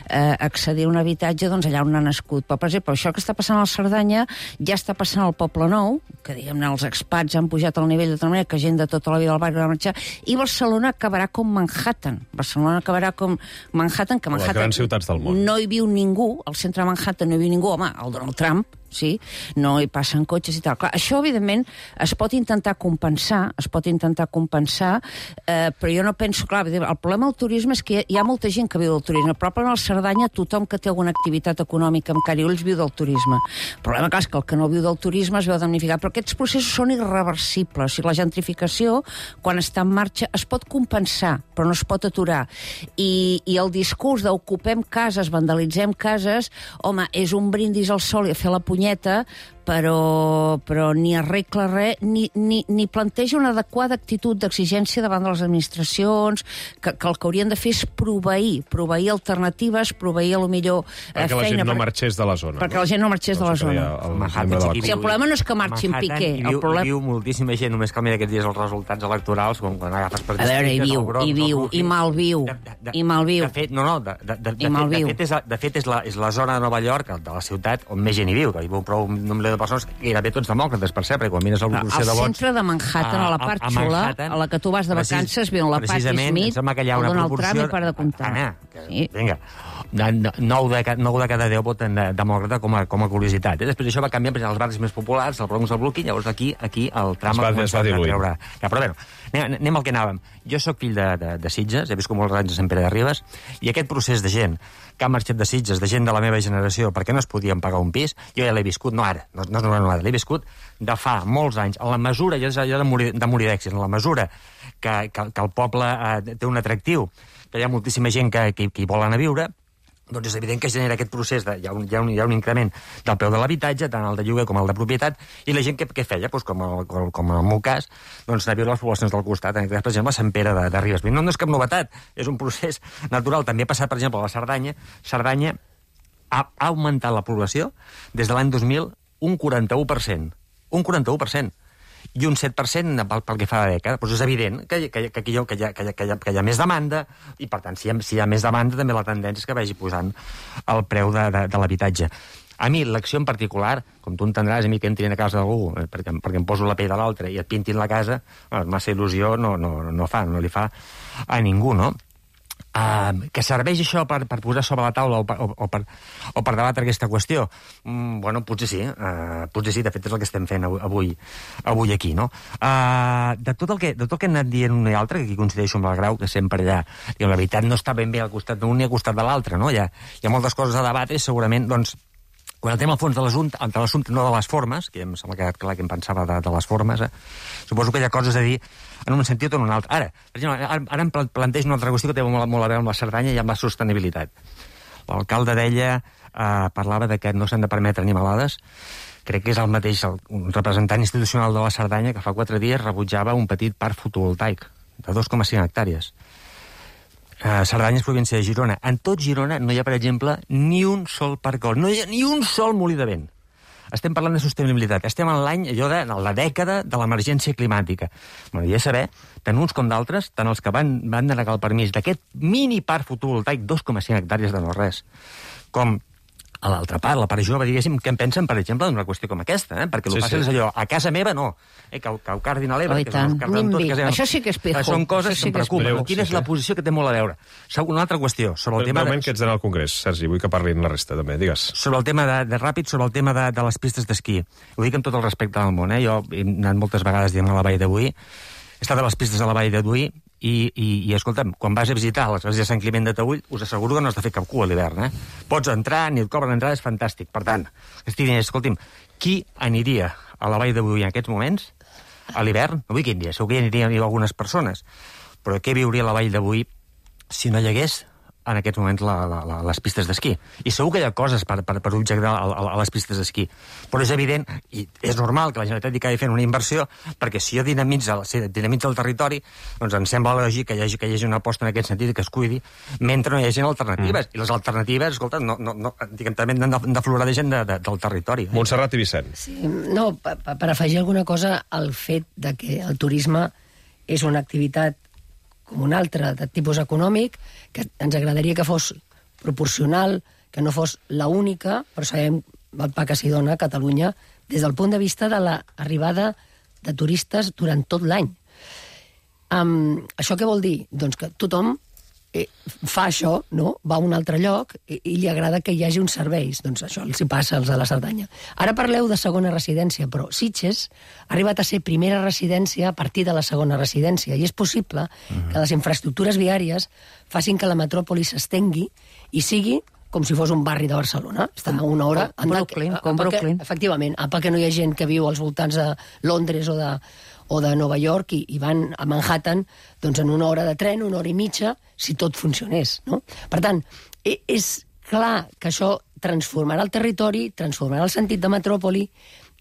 accedir a un habitatge doncs, allà on ha nascut. Però, per exemple, això que està passant a la Cerdanya ja està passant al Poble Nou, que, diguem-ne, els expats han pujat al nivell de tal manera que gent de tota la vida del barri va marxar, i Barcelona acabarà com Manhattan. Barcelona acabarà com Manhattan, que Manhattan... Les grans ciutats del món. No hi viu ningú, al centre de Manhattan no hi viu ningú, home, Donald Trump, sí? No hi passen cotxes i tal. Clar, això, evidentment, es pot intentar compensar, però jo no penso... Clar, el problema del turisme és que hi ha molta gent que viu del turisme. Probablement a la Cerdanya tothom que té alguna activitat econòmica amb cara i ulls viu del turisme. El problema, clar, és que el que no viu del turisme es veu damnificat. Però aquests processos són irreversibles. O sigui, la gentrificació, quan està en marxa, es pot compensar, però no es pot aturar. I el discurs d'ocupem cases, vandalitzem cases, home, és un brindis al sol i a fer la punyeta, però ni arregla res, ni planteja una adequada actitud d'exigència davant de les administracions, que el que haurien de fer és proveir alternatives, proveir a lo millor feina... Perquè la gent no marxés de la zona. Perquè la gent no marxés de la zona. El problema no és que marxi en Piqué. Hi viu moltíssima gent, només cal mirar aquests dies els resultats electorals, com quan agafes per... A veure, hi viu, i malviu. De fet, és la zona de Nova York, de la ciutat, on més gent hi viu, que hi viu prou un nombre de persones, gairebé tots demòcrates, per cert, perquè quan mires la proporció de vots... Al centre de Manhattan, a la part xula, a la que tu vas de vacances, viuen la Patti Smith, el Donald Trump i per de comptar. Vinga, 9 de cada 10 voten demòcrata com a curiositat. Després això va canviar per als barris més populars, el Bronx, el Brooklyn, llavors aquí el Trump va diluir. Però bé, anem al que anàvem. Jo sóc fill de Sitges, he viscut molts anys a Sant Pere de Ribes, i aquest procés de gent que ha marxat de Sitges, de gent de la meva generació, perquè no es podien pagar un pis, jo ja l'he viscut, no ara, no és una l'he viscut de fa molts anys, en la mesura, jo de morir d'èxit, en la mesura que el poble té un atractiu, que hi ha moltíssima gent que hi volen a viure, doncs és evident que genera aquest procés, hi ha un increment del preu de l'habitatge, tant el de lloguer com el de propietat, i la gent què feia? Doncs com en el meu cas, doncs anar a viure a les poblacions del costat, en aquest cas, per exemple, a Sant Pere de Ribes. No és cap novetat, és un procés natural. També ha passat, per exemple, a la Cerdanya. Cerdanya ha augmentat la població des de l'any 2000 un 41%. Un 41%. I un 7% pel que fa a la dècada. Doncs és evident que hi ha més demanda, i per tant, si hi ha més demanda, també la tendència és que vagi posant el preu de l'habitatge. A mi, l'acció en particular, com tu entendràs, a mi que entrin a casa d'algú, perquè em poso la pell de l'altre i et pintin la casa, massa il·lusió no li fa a ningú, no? Que serveix això per posar sobre la taula o per debatre aquesta qüestió? Bueno, potser sí, de fet és el que estem fent avui aquí, no? De tot el que han anat dient un i altre, que aquí coincideixo amb el Grau, que sempre allà, la veritat no està ben bé al costat d'un ni al costat de l'altre, no? Hi ha moltes coses a debatre i segurament, doncs, quan entrem al fons de l'assumpte, no de les formes, que em sembla que ha quedat clar que em pensava de les formes, suposo que hi ha coses a dir en un sentit o en un altre. Ara, per exemple, ara em plantejo una altra qüestió que té molt a veure amb la Cerdanya i amb la sostenibilitat. L'alcalde parlava de que no s'han de permetre animalades. Crec que és el mateix un representant institucional de la Cerdanya que fa 4 dies rebutjava un petit parc fotovoltaic de 2,5 hectàrees. Cerdanya és província de Girona. En tot Girona no hi ha, per exemple, ni un sol parc eòlic, no hi ha ni un sol molí de vent. Estem parlant de sostenibilitat. Estem en l'any, en la dècada de l'emergència climàtica. M'agradaria saber, tant uns com d'altres, tant els que van denegar el permís d'aquest mini parc fotovoltaic, 2,5 hectàrees de no res, com a l'altra part, la part jove, diguéssim, què en pensen, per exemple, d'una qüestió com aquesta, perquè el que passa és allò, a casa meva no, que ho cardin a l'Ebre, que són els carden tot, això sí que és pijo. Són coses que em preocupen. Quina és la posició que té molt a veure? Una altra qüestió, sobre el tema... Realment que ets d'anar al Congrés, Sergi, vull que parlin la resta, també, digues. Sobre el tema de ràpid, sobre el tema de les pistes d'esquí. Ho dic amb tot el respecte del món, jo he anat moltes vegades, diguem, a la Vall de Boí, he estat a les pistes de la Vall de Boí, i escolta'm, quan vas a visitar l'església de Sant Climent de Taüll, us asseguro que no has de fer cap cua a l'hivern, Pots entrar, ni et cobren entrada, és fantàstic. Per tant, escolti'm, qui aniria a la Vall de Boí en aquests moments, a l'hivern? No vull qui aniria, segur que hi anirien algunes persones, però què viuria la vall d'avui si no hi hagués en aquests moments les pistes d'esquí? I segur que hi ha coses per objectar a les pistes d'esquí, però és evident, i és normal que la Generalitat hi acabi fent una inversió, perquè si jo dinamitza el territori, doncs em sembla lògic que hi hagi una aposta en aquest sentit, que es cuidi, mentre no hi hagi alternatives. I les alternatives, escolta, també han d'aflorar de gent del territori. Montserrat i Vicent. Sí, no, per afegir alguna cosa al fet de que el turisme és una activitat com un altre de tipus econòmic, que ens agradaria que fos proporcional, que no fos l'única, però sabem el pa que s'hi dona a Catalunya des del punt de vista de l'arribada de turistes durant tot l'any. Això què vol dir? Doncs que tothom fa això, no? Va a un altre lloc i li agrada que hi hagi uns serveis. Doncs això els hi passa als de la Cerdanya. Ara parleu de segona residència, però Sitges ha arribat a ser primera residència a partir de la segona residència, i és possible que les infraestructures viàries facin que la metròpoli s'estengui i sigui com si fos un barri de Barcelona. Està a una hora... Com Brooklyn. Efectivament, perquè no hi ha gent que viu als voltants de Londres o de Nova York i van a Manhattan doncs en una hora de tren, una hora i mitja, si tot funcionés, no? Per tant, és clar que això transformarà el territori, transformarà el sentit de metròpoli,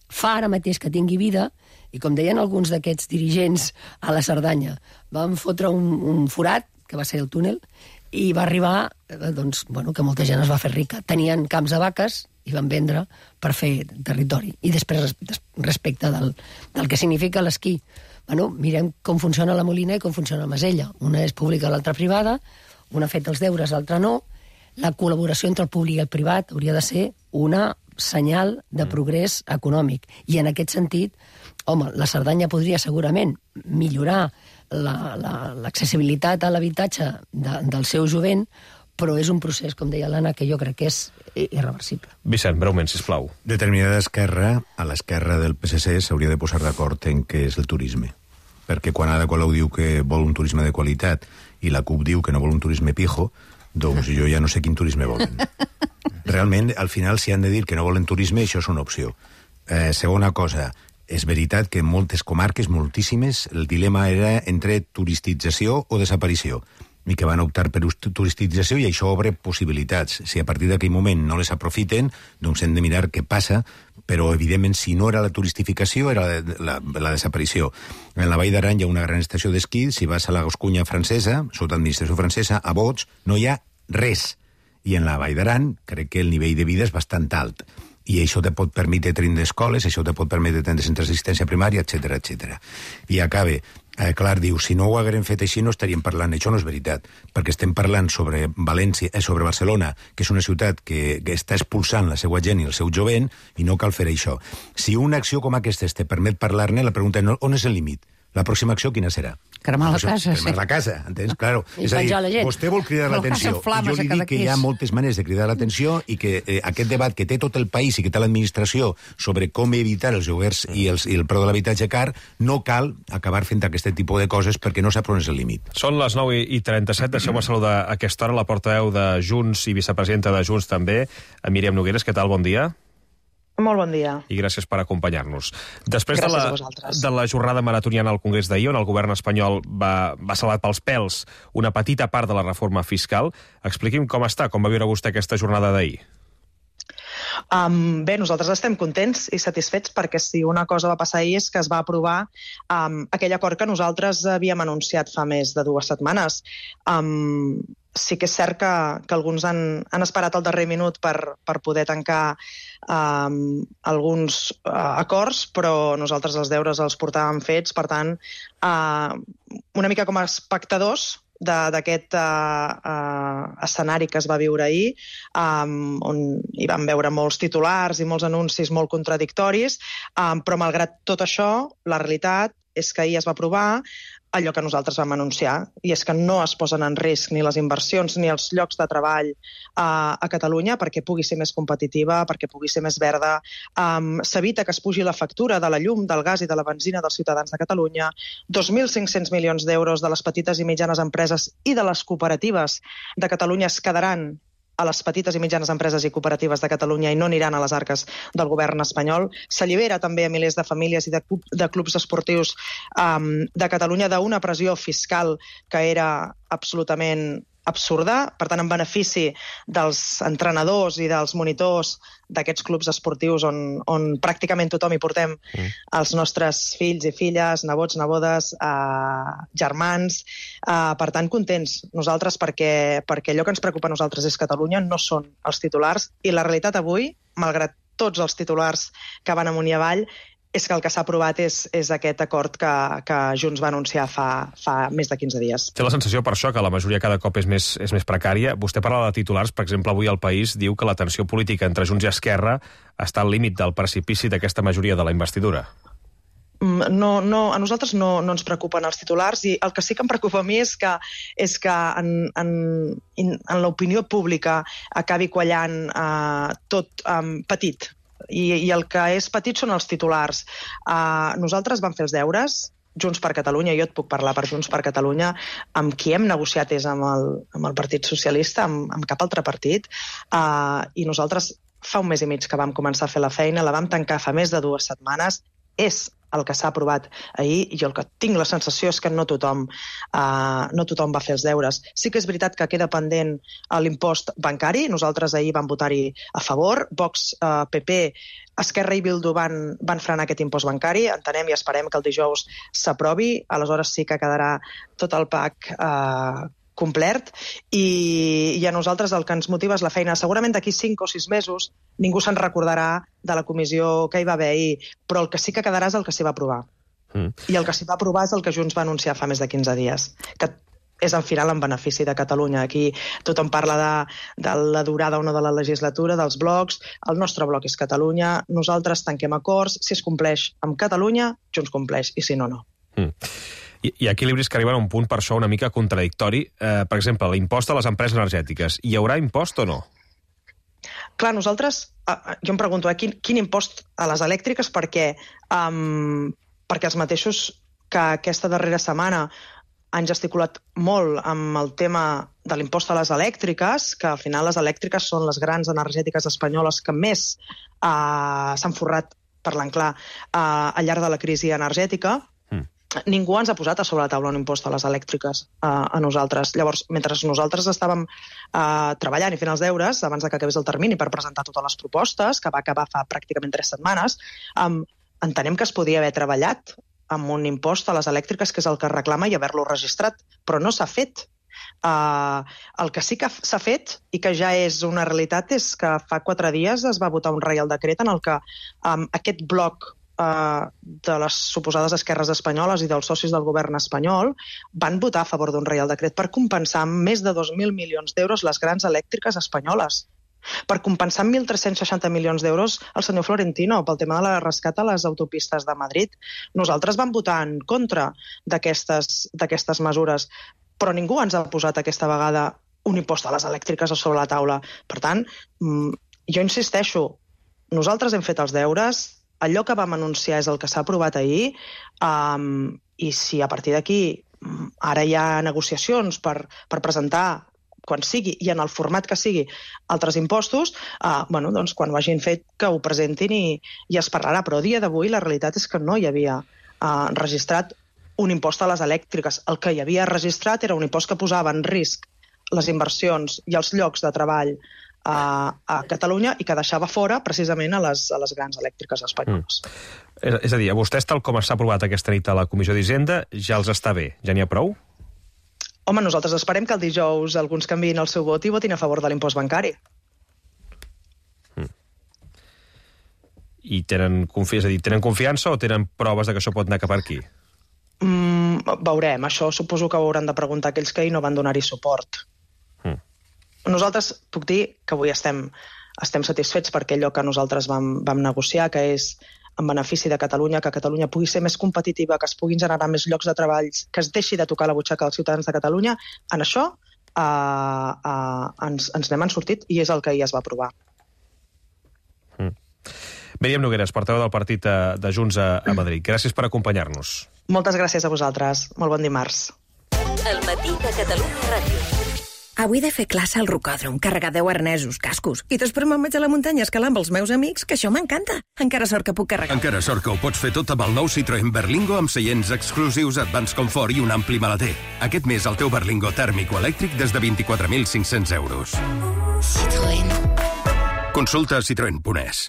fa ara mateix que tingui vida, i com deien alguns d'aquests dirigents a la Cerdanya, van fotre un forat, que va ser el túnel, i va arribar doncs, que molta gent es va fer rica. Tenien camps de vaques i van vendre per fer territori. I després, respecte del que significa l'esquí, mirem com funciona la Molina i com funciona la Masella. Una és pública, l'altra privada, una ha fet els deures, l'altra no. La col·laboració entre el públic i el privat hauria de ser una senyal de progrés econòmic. I en aquest sentit, la Cerdanya podria segurament millorar l'accessibilitat a l'habitatge del seu jovent, però és un procés, com deia l'Anna, que jo crec que és irreversible. Vicent, breument, sisplau. Determinada esquerra, a l'esquerra del PSC, s'hauria de posar d'acord en què és el turisme. Perquè quan Ada Colau diu que vol un turisme de qualitat i la CUP diu que no vol un turisme pijo, doncs jo ja no sé quin turisme volen. Realment, al final, si han de dir que no volen turisme, això és una opció. Segona cosa, és veritat que en moltes comarques, moltíssimes, el dilema era entre turistització o desaparició, i que van optar per turistització, i això obre possibilitats. Si a partir d'aquell moment no les aprofiten, doncs hem de mirar què passa, però evidentment si no era la turistificació era la desaparició. En la Vall d'Aran hi ha una gran estació d'esquí, si vas a la Gascunya francesa, sota administració francesa, a Bots, no hi ha res. I en la Vall d'Aran crec que el nivell de vida és bastant alt. I això te pot permetre tindre escoles, això te pot permetre tindre centres d'assistència primària, etc etc. I acabe. Clar, diu, si no ho haguérem fet així no estaríem parlant. Això no és veritat, perquè estem parlant sobre Barcelona, que és una ciutat que està expulsant la seva gent i el seu jovent, i no cal fer això. Si una acció com aquesta te permet parlar-ne, la pregunta és on és el límit? La pròxima acció quina serà? Cremar la casa, cremar la casa, entens? Claro. I és a dir, penjar la gent. Vostè vol cridar l'atenció. Jo li dic que hi ha moltes maneres de cridar l'atenció i que aquest debat que té tot el país i que té l'administració sobre com evitar els lloguers i el preu de l'habitatge car, no cal acabar fent aquest tipus de coses perquè no sap on és el límit. Són les 9:37, deixeu-me saludar a aquesta hora la portaveu de Junts i vicepresidenta de Junts també, Míriam Nogueres. Què tal? Bon dia. Molt bon dia. I gràcies per acompanyar-nos. Després gràcies de la jornada maratoniana al Congrés d'ahir, on el govern espanyol va salvar pels pèls una petita part de la reforma fiscal, expliqui'm com està, com va viure vostè aquesta jornada d'ahir. Bé, nosaltres estem contents i satisfets perquè si una cosa va passar ahir és que es va aprovar aquell acord que nosaltres havíem anunciat fa més de 2 setmanes. Sí que és cert que alguns han esperat el darrer minut per poder tancar alguns acords, però nosaltres els deures els portàvem fets, per tant, una mica com a espectadors d'aquest escenari que es va viure ahir, on hi vam veure molts titulars i molts anuncis molt contradictoris, però malgrat tot això, la realitat és que ahir es va aprovar allò que nosaltres vam anunciar, i és que no es posen en risc ni les inversions ni els llocs de treball a Catalunya perquè pugui ser més competitiva, perquè pugui ser més verda. S'evita que es pugi la factura de la llum, del gas i de la benzina dels ciutadans de Catalunya. 2.500 milions d'euros de les petites i mitjanes empreses i de les cooperatives de Catalunya es quedaran a les petites i mitjanes empreses i cooperatives de Catalunya i no aniran a les arques del govern espanyol. S'allibera també a milers de famílies i de clubs esportius de Catalunya d'una pressió fiscal que era absolutament absurda, per tant, en benefici dels entrenadors i dels monitors d'aquests clubs esportius on pràcticament tothom hi portem els nostres fills i filles, nebots, nebodes, germans. Per tant, contents nosaltres perquè allò que ens preocupa a nosaltres és Catalunya, no són els titulars, i la realitat avui, malgrat tots els titulars que van amunt i avall, és que el que s'ha aprovat és aquest acord que Junts va anunciar fa més de 15 dies. Té la sensació, per això, que la majoria cada cop és més precària. Vostè parla de titulars, per exemple, avui El País diu que la tensió política entre Junts i Esquerra està al límit del precipici d'aquesta majoria de la investidura. No, a nosaltres no ens preocupen els titulars, i el que sí que em preocupa a mi és que en l'opinió pública acabi quallant tot petit. I el que és petit són els titulars. Nosaltres vam fer els deures, Junts per Catalunya, jo et puc parlar per Junts per Catalunya, amb qui hem negociat és amb el Partit Socialista, amb cap altre partit, i nosaltres fa un mes i mig que vam començar a fer la feina, la vam tancar fa més de 2 setmanes, és el que s'ha aprovat ahir, i el que tinc la sensació és que no tothom va fer els deures. Sí que és veritat que queda pendent l'impost bancari, nosaltres ahir vam votar-hi a favor, Vox, PP, Esquerra i Bildu van frenar aquest impost bancari, entenem i esperem que el dijous s'aprovi, aleshores sí que quedarà tot el PAC complet, i a nosaltres el que ens motiva és la feina. Segurament d'aquí 5 o 6 mesos ningú se'n recordarà de la comissió que hi va haver ahir, però el que sí que quedarà és el que s'hi va aprovar. I el que s'hi va aprovar és el que Junts va anunciar fa més de 15 dies, que és al final en benefici de Catalunya. Aquí tothom parla de la durada o no de la legislatura, dels blocs. El nostre bloc és Catalunya, nosaltres tanquem acords, si es compleix amb Catalunya, Junts compleix, i si no, no. Hi ha equilibris que arriben a un punt, per això, una mica contradictori. Per exemple, l'impost a les empreses energètiques. Hi haurà impost o no? Clar, nosaltres, jo em pregunto, quin impost a les elèctriques? Perquè els mateixos que aquesta darrera setmana han gesticulat molt amb el tema de l'impost a les elèctriques, que al final les elèctriques són les grans energètiques espanyoles que més s'han forrat, parlant clar, al llarg de la crisi energètica. Ningú ens ha posat a sobre la taula un impost a les elèctriques a nosaltres. Llavors, mentre nosaltres estàvem treballant i fent els deures, abans que acabés el termini per presentar totes les propostes, que va acabar fa pràcticament 3 setmanes, entenem que es podia haver treballat amb un impost a les elèctriques, que és el que reclama, i haver-lo registrat, però no s'ha fet. El que sí que s'ha fet, i que ja és una realitat, és que fa 4 dies es va votar un Reial Decret en el que aquest bloc de les suposades esquerres espanyoles i dels socis del govern espanyol van votar a favor d'un Reial Decret per compensar amb més de 2.000 milions d'euros les grans elèctriques espanyoles, per compensar amb 1.360 milions d'euros el senyor Florentino pel tema de la rescat a les autopistes de Madrid. Nosaltres vam votar en contra d'aquestes mesures, però ningú ens ha posat aquesta vegada un impost a les elèctriques a sobre la taula. Per tant, jo insisteixo, nosaltres hem fet els deures, allò que vam anunciar és el que s'ha aprovat ahir, i si a partir d'aquí ara hi ha negociacions per presentar, quan sigui i en el format que sigui, altres impostos, doncs quan ho hagin fet que ho presentin i es parlarà. Però a dia d'avui la realitat és que no hi havia registrat un impost a les elèctriques. El que hi havia registrat era un impost que posava en risc les inversions i els llocs de treball a Catalunya i que deixava fora precisament a les grans elèctriques espanyoles. És a dir, a vostès, tal com s'ha aprovat aquesta nit a la Comissió d'Hisenda, ja els està bé? Ja n'hi ha prou? Home, nosaltres esperem que el dijous alguns canviïn el seu vot i votin a favor de l'impost bancari. I tenen confiança o tenen proves de que això pot anar cap aquí? Veurem, això suposo que ho hauran de preguntar aquells que ahir no van donar-hi suport. Nosaltres puc dir que avui estem satisfets perquè allò que nosaltres vam negociar, que és en benefici de Catalunya, que Catalunya pugui ser més competitiva, que es puguin generar més llocs de treball, que es deixi de tocar la butxaca dels ciutadans de Catalunya, en això ens n'hem sortit i és el que ahir es va aprovar. Míriam Nogueras, portaveu del partit de Junts a Madrid. Gràcies per acompanyar-nos. Moltes gràcies a vosaltres. Molt bon dimarts. El matí de Catalunya Ràdio. Avui he de fer classe al rocòdrom, carregar 10 arnesos, cascos, i després me'n vaig a la muntanya a escalar amb els meus amics, que això m'encanta. Encara sort que puc carregar. Encara sort que ho pots fer tot amb el nou Citroën Berlingo amb seients exclusius, Advance Comfort i un ampli maleter. Aquest mes el teu Berlingo tèrmic o elèctric des de 24.500 euros. Citroën. Consulta citroen.es.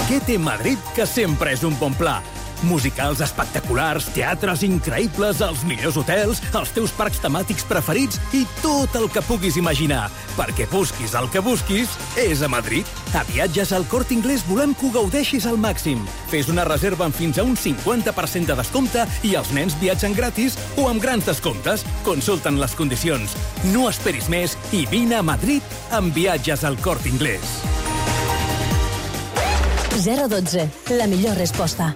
Què té Madrid que sempre és un bon pla? Musicals espectaculars, teatres increïbles, els millors hotels, els teus parcs temàtics preferits i tot el que puguis imaginar. Perquè busquis el que busquis, és a Madrid. A Viatges al Corte Inglés volem que ho gaudeixis al màxim. Fes una reserva amb fins a un 50% de descompte i els nens viatgen gratis o amb grans descomptes. Consulta'n les condicions. No esperis més i vine a Madrid amb Viatges al Corte Inglés. 012, la millor resposta.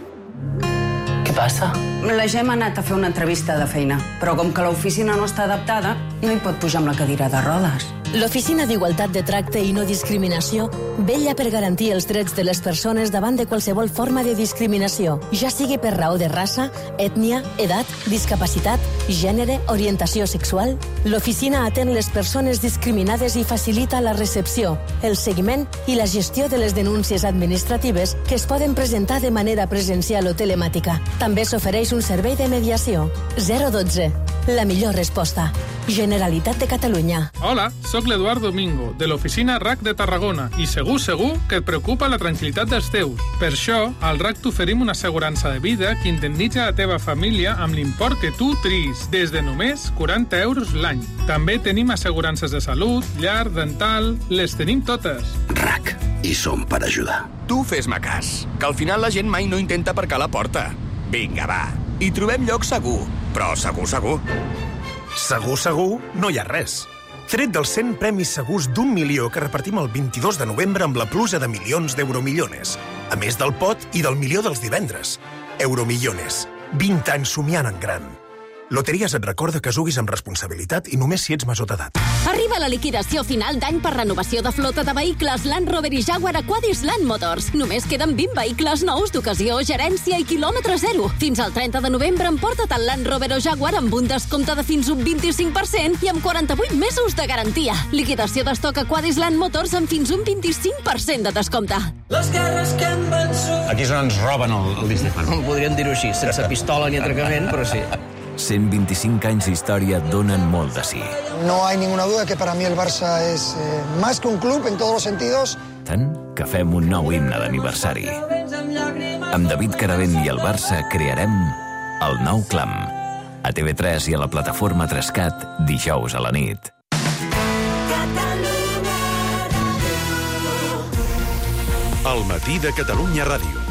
Què passa? La Gemma ha anat a fer una entrevista de feina, però com que l'oficina no està adaptada, no hi pot pujar amb la cadira de rodes. L'Oficina d'Igualtat de Tracte i No Discriminació vetlla per garantir els drets de les persones davant de qualsevol forma de discriminació, ja sigui per raó de raça, ètnia, edat, discapacitat, gènere, orientació sexual. L'oficina atén les persones discriminades i facilita la recepció, el seguiment i la gestió de les denúncies administratives que es poden presentar de manera presencial o telemàtica. També s'ofereix un servei de mediació. 012. La millor resposta. Generalitat de Catalunya. Hola, sóc l'Eduard Domingo, de l'oficina RAC de Tarragona, i segur que et preocupa la tranquil·litat dels teus. Per això, al RAC t'oferim una assegurança de vida que indemnitza la teva família amb l'import que tu triïs, des de només 40 euros l'any. També tenim assegurances de salut, llar, dental... Les tenim totes. RAC. I som per ajudar. Tu fes-me cas, que al final la gent mai no intenta aparcar a la porta. Vinga, va. Hi trobem lloc segur, però segur, segur. Segur, segur, no hi ha res. Tret dels 100 premis segurs d'1 milió que repartim el 22 de novembre amb la pluja de milions d'Euromillones. A més del pot i del milió dels divendres. Euromillones. 20 anys somiant en gran. Loteries et recorda que juguis amb responsabilitat i només si ets major d'edat. Arriba la liquidació final d'any per renovació de flota de vehicles Land Rover i Jaguar a Quadis Land Motors. Només queden 20 vehicles nous d'ocasió, gerència i quilòmetre zero. Fins al 30 de novembre emporta't el Land Rover o Jaguar amb un descompte de fins un 25% i amb 48 mesos de garantia. Liquidació d'estoc a Quadis Land Motors amb fins un 25% de descompte. Les guerres que han vençut... Aquí és on ens roben el Disney Fan. Podríem dir-ho així, sense pistola ni atracament, però sí. 125 anys d'història donen molt de sí. No hay ninguna duda que para mí el Barça es más que un club en todos los sentidos. Tant que fem un nou himne d'aniversari. Amb David Caravent i el Barça crearem el nou clam. A TV3 i a la plataforma 3CAT, dijous a la nit. El matí de Catalunya Ràdio.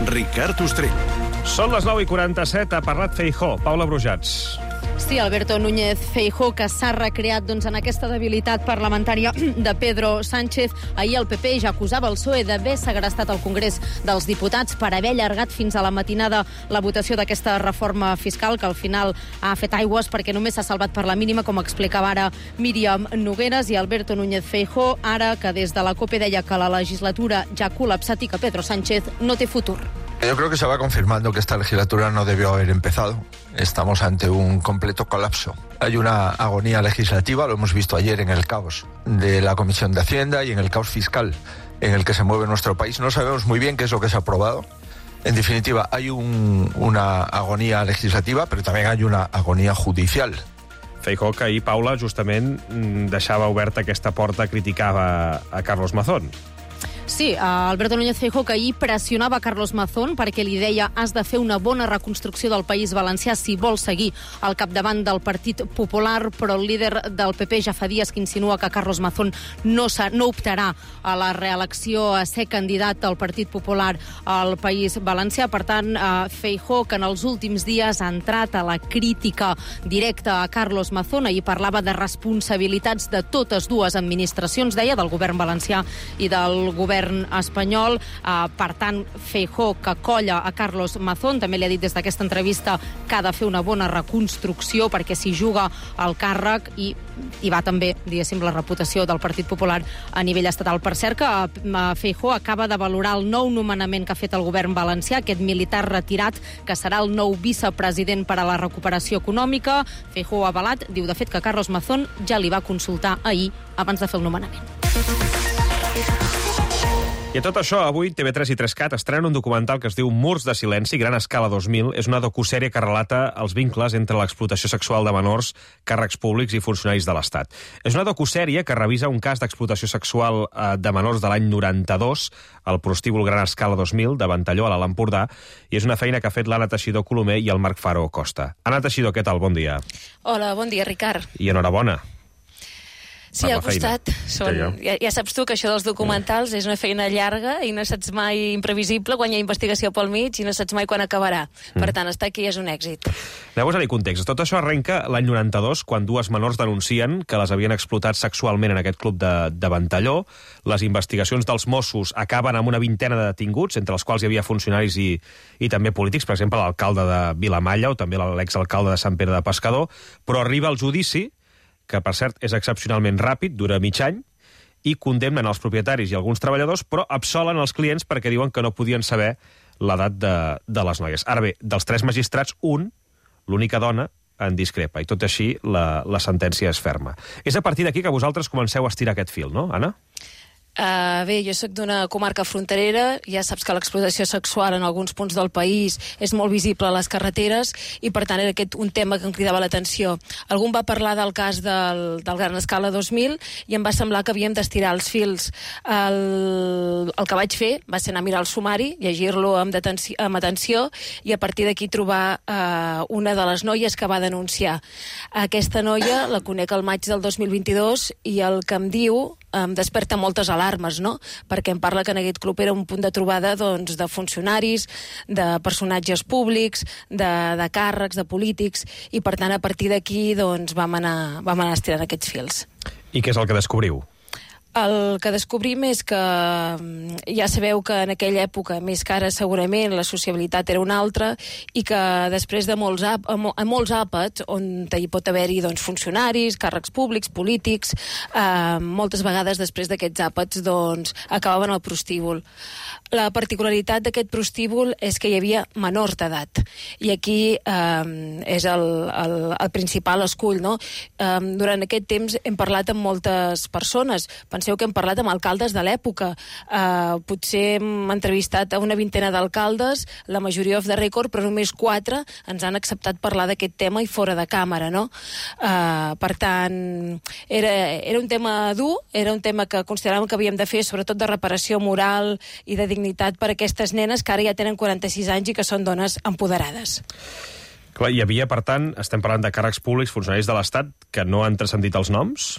Ricard Ostrell. Són les 9:47, ha parlat Feijóo. Paula Brujats. Sí, Alberto Núñez Feijóo, que s'ha recreat en aquesta debilitat parlamentària de Pedro Sánchez. Ahir el PP ja acusava el PSOE d'haver segrestat el Congrés dels Diputats per haver allargat fins a la matinada la votació d'aquesta reforma fiscal, que al final ha fet aigües perquè només s'ha salvat per la mínima, com explicava ara Míriam Nogueras. I Alberto Núñez Feijóo, ara que des de la COPE deia que la legislatura ja ha col·lapsat i que Pedro Sánchez no té futur. Yo creo que se va confirmando que esta legislatura no debió haber empezado. Estamos ante un completo colapso. Hay una agonía legislativa, lo hemos visto ayer en el caos de la Comisión de Hacienda y en el caos fiscal en el que se mueve nuestro país. No sabemos muy bien qué es lo que se ha aprobado. En definitiva, hay una agonía legislativa, pero también hay una agonía judicial. Feijóo, que ahir, Paula, justament deixava oberta aquesta porta, criticava a Carlos Mazón. Sí, Alberto Núñez Feijóo, que ahir pressionava Carlos Mazón perquè li deia has de fer una bona reconstrucció del País Valencià si vol seguir al capdavant del Partit Popular, però el líder del PP ja fa dies que insinua que Carlos Mazón no optarà a la reelecció a ser candidat del Partit Popular al País Valencià. Per tant, Feijóo, que en els últims dies ha entrat a la crítica directa a Carlos Mazón, ahir parlava de responsabilitats de totes dues administracions, deia, del govern valencià i del govern govern espanyol. Per tant, Feijóo, que colla a Carlos Mazón, també li ha dit des d'aquesta entrevista que ha de fer una bona reconstrucció perquè s'hi juga al càrrec i va també, diguéssim, la reputació del Partit Popular a nivell estatal. Per cert, que Feijóo acaba de valorar el nou nomenament que ha fet el govern valencià, aquest militar retirat, que serà el nou vicepresident per a la recuperació econòmica. Feijóo ha avalat, diu de fet que Carlos Mazón ja li va consultar ahir abans de fer el nomenament. I a tot això, avui TV3 i 3CAT estrenen un documental que es diu Murs de silenci, Gran Escala 2000. És una docusèrie que relata els vincles entre l'explotació sexual de menors, càrrecs públics i funcionaris de l'Estat. És una docusèrie que revisa un cas d'explotació sexual de menors de l'any 92, al prostíbul Gran Escala 2000 de Ventalló, a l'Alt Empordà, i és una feina que ha fet l'Anna Teixidor Colomer i el Marc Faro Costa. Anna Teixidor, què tal? Bon dia. Hola, bon dia, Ricard. I enhorabona. Sí, al costat. Ja saps tu que això dels documentals és una feina llarga i no saps mai imprevisible quan hi ha investigació pel mig i no saps mai quan acabarà. Per tant, estar aquí és un èxit. Aneu a posar-hi context. Tot això arrenca l'any 92, quan dues menors denuncien que les havien explotat sexualment en aquest club de Ventalló. Les investigacions dels Mossos acaben amb una vintena de detinguts, entre els quals hi havia funcionaris i també polítics, per exemple, l'alcalde de Vilamalla o també l'exalcalde de Sant Pere de Pescador, però arriba el judici, que per cert és excepcionalment ràpid, dura mig any, i condemnen els propietaris i alguns treballadors, però absolen els clients perquè diuen que no podien saber l'edat de les noies. Ara bé, dels 3 magistrats, l'única dona, en discrepa, i tot així la sentència és ferma. És a partir d'aquí que vosaltres comenceu a estirar aquest fil, no, Anna? Bé, jo soc d'una comarca fronterera, ja saps que l'explotació sexual en alguns punts del país és molt visible a les carreteres i per tant era aquest un tema que em cridava l'atenció. Algú va parlar del cas del Gran Escala 2000 i em va semblar que havíem d'estirar els fils. El que vaig fer va ser anar a mirar el sumari, llegir-lo amb atenció i a partir d'aquí trobar una de les noies que va denunciar. Aquesta noia la conec al maig del 2022 i el que em diu em desperta moltes alarmes, no? Perquè em parla que en aquest club era un punt de trobada doncs, de funcionaris, de personatges públics, de càrrecs, de polítics, i per tant a partir d'aquí doncs, vam anar estirant aquests fils. I què és el que descobriu? El que descobrim és que ja sabeu que en aquella època, més que ara segurament, la sociabilitat era una altra i que després de molts àpats, on hi pot haver-hi doncs, funcionaris, càrrecs públics, polítics, moltes vegades després d'aquests àpats doncs, acabaven al prostíbul. La particularitat d'aquest prostíbul és que hi havia menors d'edat i aquí és el principal escull, no? Durant aquest temps hem parlat amb moltes persones. Penseu que hem parlat amb alcaldes de l'època. Potser hem entrevistat a una vintena d'alcaldes, la majoria off the record, però només 4 ens han acceptat parlar d'aquest tema i fora de càmera, no? Per tant, era un tema dur, era un tema que consideràvem que havíem de fer, sobretot de reparació moral i de dignitat per a aquestes nenes que ara ja tenen 46 anys i que són dones empoderades. Clar, hi havia, per tant, estem parlant de càrrecs públics, funcionaris de l'Estat, que no han transcendit els noms?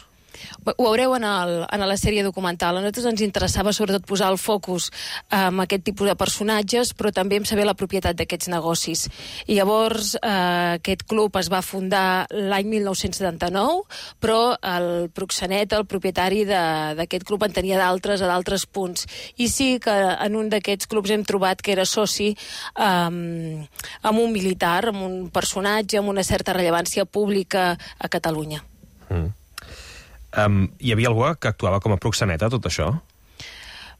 Ho veureu en la sèrie documental. A nosaltres ens interessava sobretot posar el focus en aquest tipus de personatges, però també en saber la propietat d'aquests negocis. I llavors aquest club es va fundar l'any 1979, però el proxenet, el propietari d'aquest club, en tenia d'altres a d'altres punts. I sí que en un d'aquests clubs hem trobat que era soci amb un militar, amb un personatge, amb una certa rellevància pública a Catalunya. Hi havia algú que actuava com a proxeneta, tot això?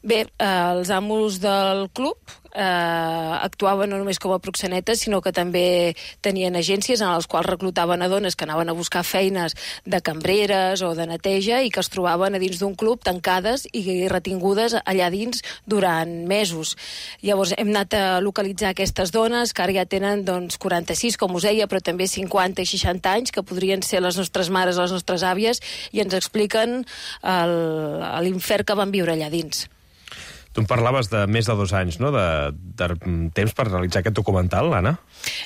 Bé, els amos del club actuaven no només com a proxenetes, sinó que també tenien agències en les quals reclutaven a dones que anaven a buscar feines de cambreres o de neteja i que es trobaven a dins d'un club tancades i retingudes allà dins durant mesos. Llavors hem anat a localitzar aquestes dones que ara ja tenen doncs, 46, com us deia, però també 50 i 60 anys, que podrien ser les nostres mares o les nostres àvies, i ens expliquen l'infern que van viure allà dins. Tu em parlaves de més de 2 anys, no?, de temps per realitzar aquest documental, Anna?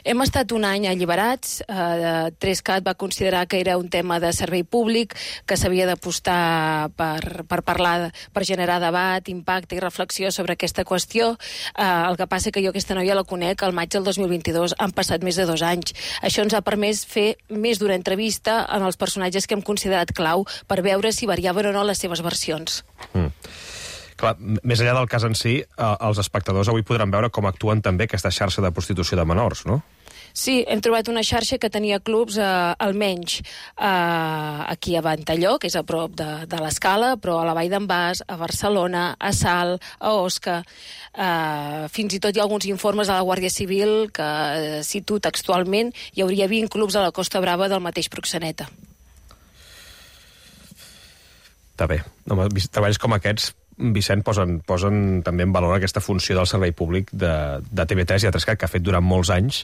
Hem estat un any alliberats. 3CAT va considerar que era un tema de servei públic, que s'havia d'apostar per parlar, per generar debat, impacte i reflexió sobre aquesta qüestió. El que passa que jo aquesta noia la conec al maig del 2022. Han passat més de 2 anys. Això ens ha permès fer més d'una entrevista amb els personatges que hem considerat clau per veure si variaven o no les seves versions. Clar, més enllà del cas en si, els espectadors avui podran veure com actuen també aquesta xarxa de prostitució de menors, no? Sí, hem trobat una xarxa que tenia clubs almenys aquí a Ventalló, que és a prop de l'Escala, però a la Vall d'en Bas, a Barcelona, a Salt, a Osca. Fins i tot hi ha alguns informes de la Guàrdia Civil que cito textualment hi hauria 20 clubs a la Costa Brava del mateix proxeneta. Està bé. Treballs com aquests, Vicent, posen també en valor aquesta funció del servei públic de TV3 i A3CAT, que ha fet durant molts anys,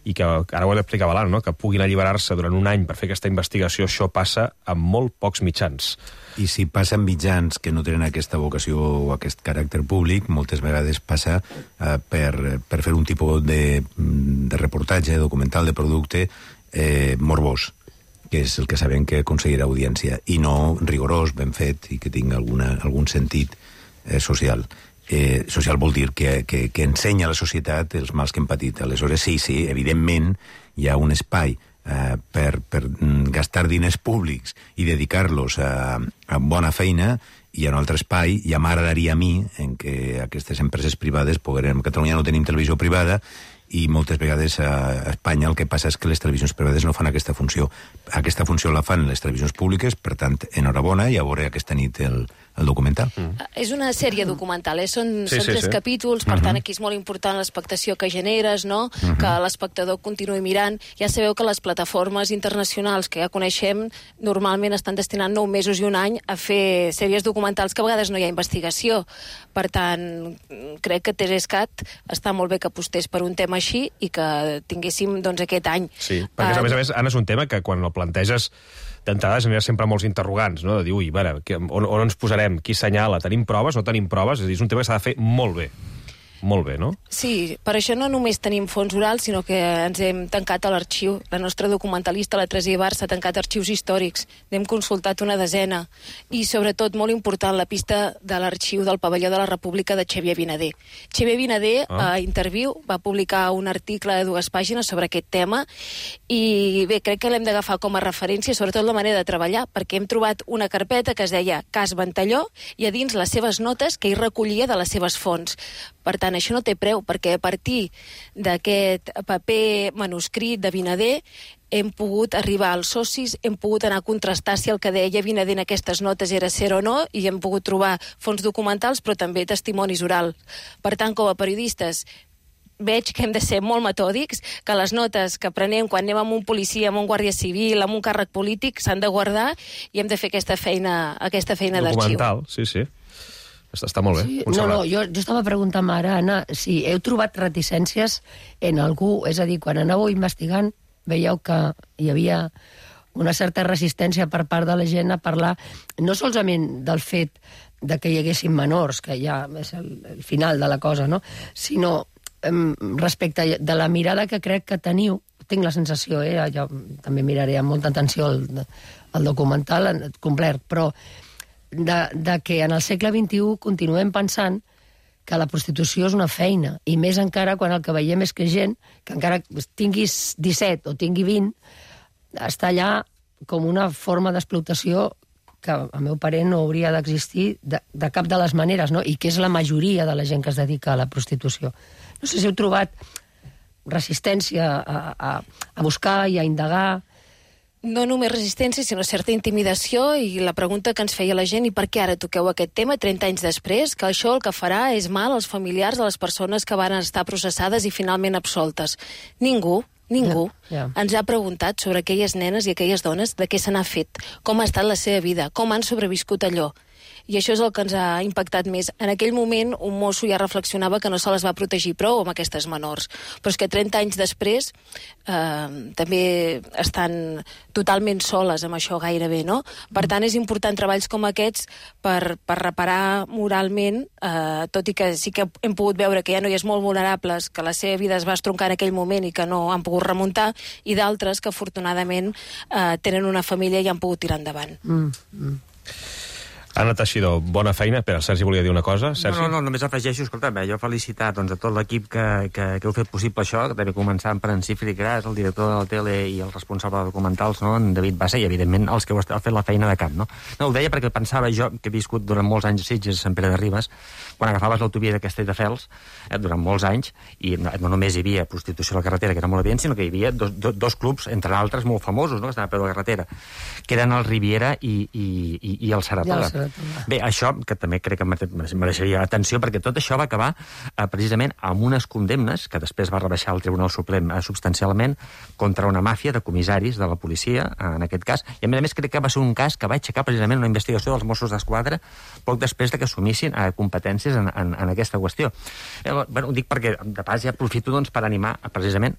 i que ara ho explicava l'Anna, no? Que puguin alliberar-se durant un any per fer aquesta investigació, això passa amb molt pocs mitjans. I si passa amb mitjans que no tenen aquesta vocació o aquest caràcter públic, moltes vegades passa per fer un tipus de reportatge, documental de producte morbós, que és el que sabem que aconseguirà audiència, i no rigorós, ben fet, i que tingui algun sentit social. Social vol dir que ensenya a la societat els mals que hem patit. Aleshores, sí, evidentment, hi ha un espai per gastar diners públics i dedicar-los a bona feina, i hi ha un altre espai, i m'agradaria a mi, en què aquestes empreses privades a Catalunya no tenim televisió privada, i moltes vegades a Espanya el que passa és que les televisions privades no fan aquesta funció. Aquesta funció la fan les televisions públiques, per tant, enhorabona, i a veure aquesta nit el documental. És una sèrie documental, són 3 capítols, per tant aquí és molt important l'expectació que generes, no? Que l'espectador continuï mirant. Ja sabeu que les plataformes internacionals que ja coneixem normalment estan destinant 9 mesos i un any a fer sèries documentals que a vegades no hi ha investigació. Per tant, crec que TV3 està molt bé que apostés per un tema així i que tinguéssim aquest any. Sí, perquè a més, Anna, és un tema que quan el planteges d'entrada genera sempre molts interrogants, no? De dir, on ens posarem? Qui senyala? Tenim proves? No tenim proves? És a dir, és un tema que s'ha de fer molt bé. Molt bé, no? Sí, per això no només tenim fons orals, sinó que ens hem tancat a l'arxiu. La nostra documentalista, la Teresa Ibar, s'ha tancat arxius històrics. N'hem consultat una desena. I, sobretot, molt important, la pista de l'arxiu del Pavelló de la República de Xavier Vinader. Xavier Vinader, a Interviu, va publicar un article de 2 pàgines sobre aquest tema i, bé, crec que l'hem d'agafar com a referència, sobretot la manera de treballar, perquè hem trobat una carpeta que es deia Cas Ventalló i a dins les seves notes que hi recollia de les seves fonts. Per tant, això no té preu, perquè a partir d'aquest paper manuscrit de Vinader hem pogut arribar als socis, hem pogut anar a contrastar si el que deia Vinader en aquestes notes era cert o no, i hem pogut trobar fons documentals, però també testimonis orals. Per tant, com a periodistes, veig que hem de ser molt metòdics, que les notes que prenem quan anem amb un policia, amb un guàrdia civil, amb un càrrec polític, s'han de guardar i hem de fer aquesta feina d'arxiu. Documental, sí. Està molt bé. Sí, jo estava preguntant ara, Anna, si heu trobat reticències en algú, és a dir, quan anàveu investigant, veieu que hi havia una certa resistència per part de la gent a parlar, no solament del fet de que hi haguessin menors, que ja és el final de la cosa, no? Sinó respecte de la mirada que crec que teniu, tinc la sensació, jo també miraré amb molta atenció el documental complet, però de que en el segle XXI continuem pensant que la prostitució és una feina, i més encara quan el que veiem és que gent que encara tinguis 17 o tingui 20 està allà com una forma d'explotació que, a meu parer, no hauria d'existir de cap de les maneres, no? I que és la majoria de la gent que es dedica a la prostitució. No sé si heu trobat resistència a buscar i a indagar. No només resistència, sinó certa intimidació, i la pregunta que ens feia la gent, i per què ara toqueu aquest tema 30 anys després, que això el que farà és mal als familiars de les persones que van estar processades i finalment absoltes. Ningú ens ha preguntat sobre aquelles nenes i aquelles dones de què se n'ha fet, com ha estat la seva vida, com han sobreviscut allò. I això és el que ens ha impactat més. En aquell moment, un mosso ja reflexionava que no se les va protegir prou amb aquestes menors. Però és que 30 anys després també estan totalment soles amb això gairebé, no? Per tant, és important treballs com aquests per reparar moralment, tot i que sí que hem pogut veure que hi ha noies molt vulnerables, que la seva vida es va estroncar en aquell moment i que no han pogut remuntar, i d'altres que afortunadament tenen una família i han pogut tirar endavant. Anna Teixidor, bona feina. Espera, el Sergi volia dir una cosa. Sergi? No, només afegeixo, escolta, jo felicitar doncs, a tot l'equip que heu fet possible això, que també començant per en Cifri Gras, el director de la tele i el responsable de documentals, no? En David Bassa, i evidentment els que heu fet la feina de camp. No, ho deia perquè pensava jo, que he viscut durant molts anys a Sitges, a Sant Pere de Ribes, quan agafaves l'autovia de Castelldefels, durant molts anys, i no només hi havia prostitució a la carretera, que era molt evident, sinó que hi havia dos clubs, entre altres, molt famosos, no? Que estaven a peu de la carretera, que eren el Riviera i el Saratoga. Bé, això, que també crec que mereixeria atenció, perquè tot això va acabar precisament amb unes condemnes que després va rebaixar el Tribunal Suprem substancialment contra una màfia de comissaris de la policia, en aquest cas, i a més crec que va ser un cas que va aixecar precisament una investigació dels Mossos d'Esquadra poc després de que assumissin competències en aquesta qüestió. Ho dic perquè de pas ja aprofito per animar precisament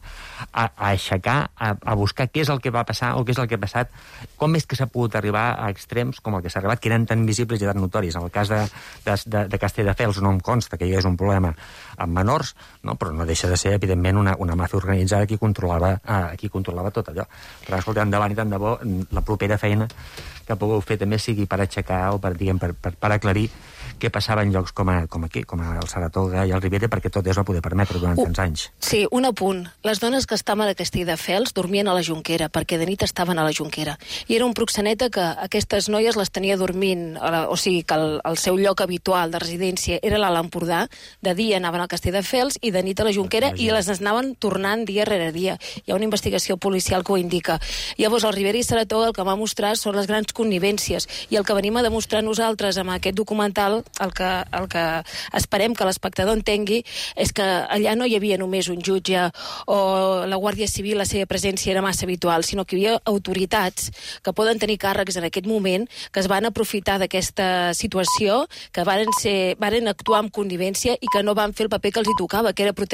a aixecar, a buscar què és el que va passar o què és el que ha passat, com és que s'ha pogut arribar a extrems com el que s'ha arribat, que eren tan visibles i tan notoris. En el cas de Castelldefels no em consta que hi hagués un problema amb menors, no? Però no deixa de ser, evidentment, una màfia organitzada qui controlava tot allò. Però escolta, endavant i tant de bo, la propera feina que pugueu fer també sigui per aixecar o per aclarir què passava en llocs com aquí, com el Saratoga i el Riviera, perquè tot es va poder permetre durant tants anys. Sí, un apunt. Les dones que estaven a Castelldefels dormien a la Jonquera, perquè de nit estaven a la Jonquera. I era un proxeneta que aquestes noies les tenia dormint, o sigui, que el seu lloc habitual de residència era l'Alt Empordà, de dia anaven al Castelldefels i de nit a la Jonquera, i les anaven tornant dia rere dia. Hi ha una investigació policial que ho indica. Llavors, el Riviera i Saratoga el que va mostrar són les grans connivències, i el que venim a demostrar nosaltres amb aquest documental, el que esperem que l'espectador entengui, és que allà no hi havia només un jutge o la Guàrdia Civil, la seva presència era massa habitual, sinó que hi havia autoritats que poden tenir càrrecs en aquest moment, que es van aprofitar d'aquesta situació, que varen actuar amb connivència i que no van fer el paper que els hi tocava, que era protegir